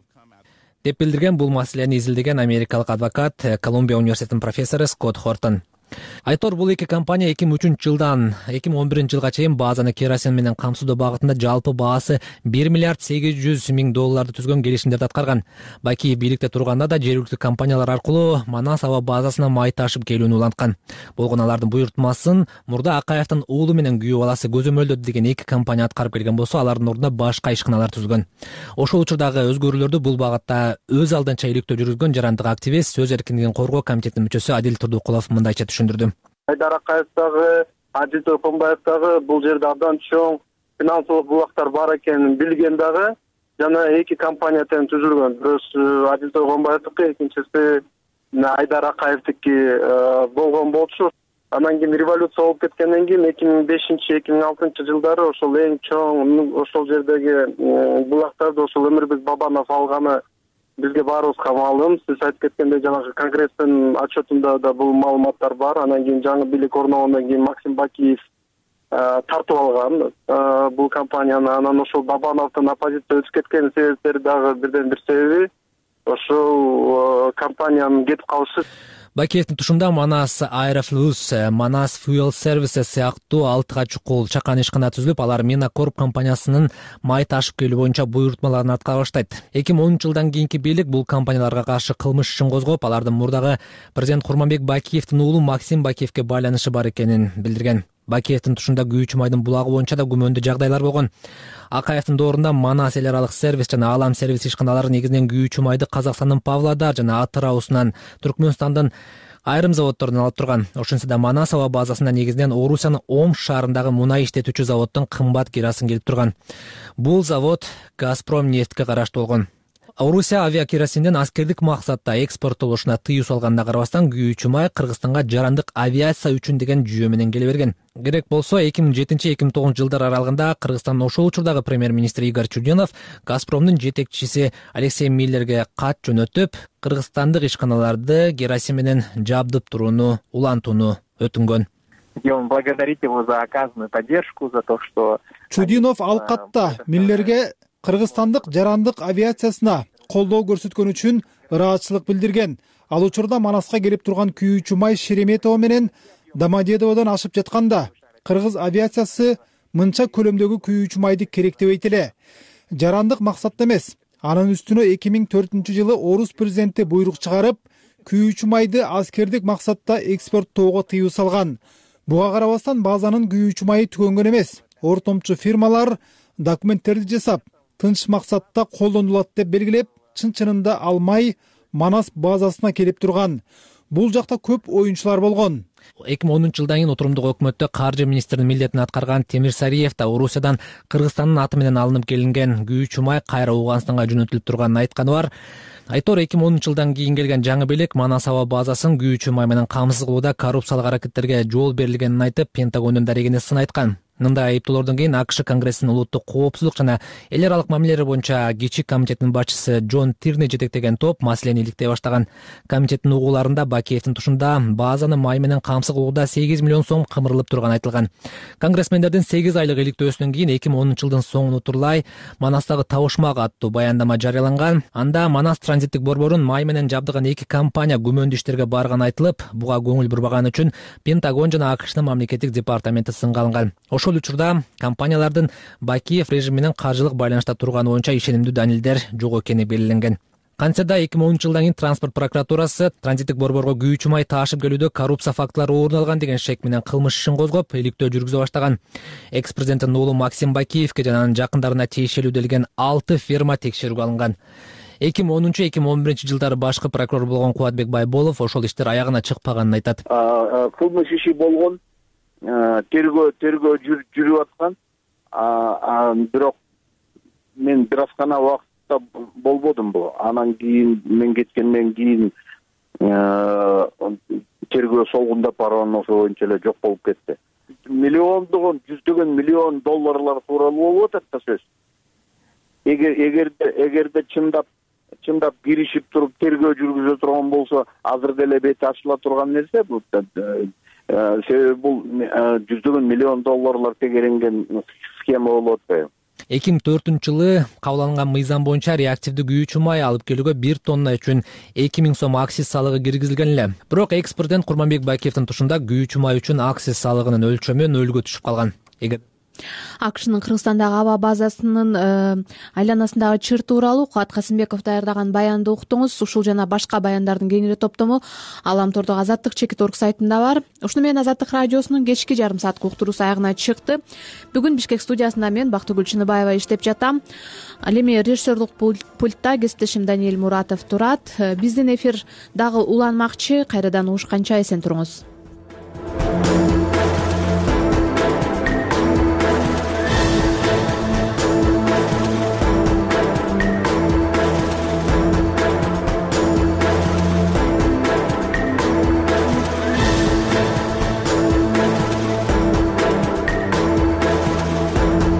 деп билдирген бул маселени изилдеген америкалык адвокат, Колумбия университетинин профессору Скотт Хортон. Айтор, бул эки компания 2003 жылдан 2011 жылга чейин базаны керосин менен камсыздоо багытында жалпы баасы $1 миллиард 800 миң түзгөн келишимдерди аткарган. Бакиев бийликте турганда да жергиликтүү компаниялар аркылуу Манас аба базасына май ташып келүүнү уланткан. Болгон алардын буйртмасын мурда Акаевдин уулу менен күйөө баласы көзөмөлдөдү деген эки компания аткарып келген болсо, алардын ордуна башка ишканалар түзгөн. Ошол учурдагы өзгөрүүлөрдү бул багытта өз алдынча иликтөө жүргүзгөн жарандык активист, сөз эркиндигин коргоо комитетинин мүчөсү Адил Турдукулов мындайча түшүндүрдү. Айдар Акаев дагы, Адил Тойконбаев дагы бул жерде абдан чоң финансылык булактар бар экенин билген дагы жана эки компания тең түзүлгөн. Бирөөсү Адил Тойконбаевдики, экинчиси Айдар Акаевдики болгон болчу. Анан кийин революция болуп кеткенден кийин 2005-2006 жылдары ошол эң чоң ошол жердеги булактарды ошол Өмүрбек Бабанов алганы бизге баарыбызга маалым. Сиз айтып кеткендей жанагы Конгресстин отчетунда да бул маалыматтар бар. Анан кийин жаңы бийлик орногондон кийин Максим Бакиев тартып алган бул компанияны. Анан ошол Бабановдун оппозиция өтүп кеткен себептери дагы бирден бир себеби ошол компаниянын кетип калышы. Бакиевдин тушунда Манас Аэрофлюс, Манас Fuel Services сыяктуу 6 чукул чакан ишкана түзүлүп, алар Минакорп компаниясынын май ташып келүү боюнча буйртмаларын аткара баштайт. 2010 жылдан кийинки бийлик бул компанияларга каршы кылмыш ишин козгоп, алардын мурдагы президент Курманбек Бакиевдин уулу Максим Бакиевке байланышы бар экенин билдирген. Бакиевдин тушунда күйүүчү майдын булагы боюнча да күмөндүү жагдайлар болгон. Акаевдин доорунда Манас эл аралык сервис жана Алам сервис ишканалары негизинен күйүүчү майды Казакстандын Павлодар жана Атыраусунан, Түркмөнстандын айрым заводдорунан алып турган. Ошентсе да Манас аба базасында негизинен Орусиянын Омск шаарындагы мунай иштетүүчү заводдун кымбат керосин келип турган. Бул завод Газпром нефтке караштуу болгон. Орусия авиакеросиндин аскердик максатта экспорттолушуна тыюу салганына карабастан күйүүчү май Кыргызстанга жарандык авиация үчүн деген жүйө менен келе берген. Керек болсо 2007-2009 жылдар аралыгында Кыргызстандын ошол учурдагы премьер-министри Игорь Чудинов Газпромдун жетекчиси Алексей Миллерге кат жөнөтүп, кыргызстандык ишканаларды керосин менен жабдып турууну улантууну өтүнгөн. Хотим благодарить его за оказанную поддержку, за то, что Чудинов ал катта Миллерге кыргызстандык жарандык авиациясына колдоо көрсөткөн үчүн ыраазычылык билдирген. Ал учурда Манаска келип турган күйүүчү май Шереметово менен Домодедоводон ашып жатканда кыргыз авиациясы мынча көлөмдөгү күйүүчү майды керектебейт эле. Жарандык максатта эмес. Анын үстүнө 2004 жылы Орус президенти буйрук чыгарып, күйүүчү майды аскердик максатта экспорттоого тыюу салган. Буга карабастан базанын күйүүчү майы түгөнгөн эмес. Ортомчу фирмалар документтерди жасап, тынч максатта колдонулат деп белгилеп, чын-чынында ал май Манас базасына келип турган. Бул жакта көп оюнчулар болгон. 2010 жылдан кийин отурумдук өкмөттө каржы министринин милдетин аткарган Темир Сариев да Орусиядан Кыргызстандын аты менен алынып келинген күйүүчү май кайра Ооганстанга жөнөтүлүп турганын айтканы бар. Айтор 2010 жылдан кийин келген жаңы бийлик Манас аба базасын күйүүчү май менен камсыз кылууда коррупциялык аракеттерге жол берилгенин айтып, Пентагондун дарегине сын айткан. Мындай айыптоолордон кийин АКШ Конгрессинин улуттук коопсуздук жана эл аралык мамилелер боюнча кичик комитетинин башчысы Джон Тирни жетектеген топ маселени иликтей баштаган. Комитеттин угууларында Бакиевдин тушунда базаны май менен камсыз кылууда 8 миллион сом кымырылып турганы айтылган. Конгрессмендердин 8 айлык иликтөөсүнөн кийин 2010 жылдын соңуна турлай Манастагы табышмак аттуу баяндама жарыяланган. Анда Манас транзиттик борборун май менен жабдыган эки компания күмөндүү иштерге барганы айтылып, буга көңүл бурбаганы үчүн Пентагон жана АКШнын мамлекеттик департаменти сынга алынган. Ошол учурда компаниялардын Бакиев режим менен каржылык байланышта турганы боюнча ишенимдүү далилдер жок экени белгиленген. Кантсе да 2010 жылдан кийин транспорт прокуратурасы транзиттик борборго күйүүчү май таашып келүүдө коррупция фактылары орун алган деген шек менен кылмыш ишин козгоп, иликтөө жүргүзө баштаган. Экс-президенттин уулу Максим Бакиевке жана анын жакындарына тиешелүү делген 6 фирма текшерүүгө алынган. 2010-2011 жылдары башкы прокурор болгон Кубатбек Байболов ошол иштер аягына чыкпаганын айтат. Кылмыш иши болгон, тергөө жүрүп аткан, бирок мен бир аз гана убакытта болбодум бул. Анан кийин мен кеткенден кийин тергөө солгундап барган ошо боюнча эле жок болуп кетти. Миллиондогон, жүздөгөн миллион долларлар тууралуу болуп атат да сөз. Эгерде чындап киришип туруп тергөө жүргүзө турган болсо, азыр деле бети ачыла турган нерсе бул. себеби бул жүздөгөн миллион долларлар тегеренген схема болуп атпайбы. 2004 кабыл алынган мыйзам боюнча реактивдүү күйүүчү май алып келүүгө 1 тонна үчүн 2000 сом акциз салыгы киргизилген эле. Бирок экс-президент Курманбек Байкеевдин тушунда күйүүчү май үчүн акциз салыгынын өлчөмү нөлгө түшүп калган. АКШнын Кыргызстандагы аба базасынын айланасындагы чыр тууралуу Кубат Касымбеков даярдаган баянды уктуңуз. Ушул жана башка баяндардын кеңири топтому Аламтордогу Азаттык чекит орг сайтында бар. Ушуну менен Азаттык радиосунун кечки жарым сааттык уктуруусу аягына чыкты. Бүгүн Бишкек студиясында мен Бактыгүл Чыныбаева иштеп жатам. Ал эми режиссерлук пультта кесиптешим Даниэль Муратов турат. Биздин эфир дагы уланмакчы. Кайрадан угушканча эсен туруңуз.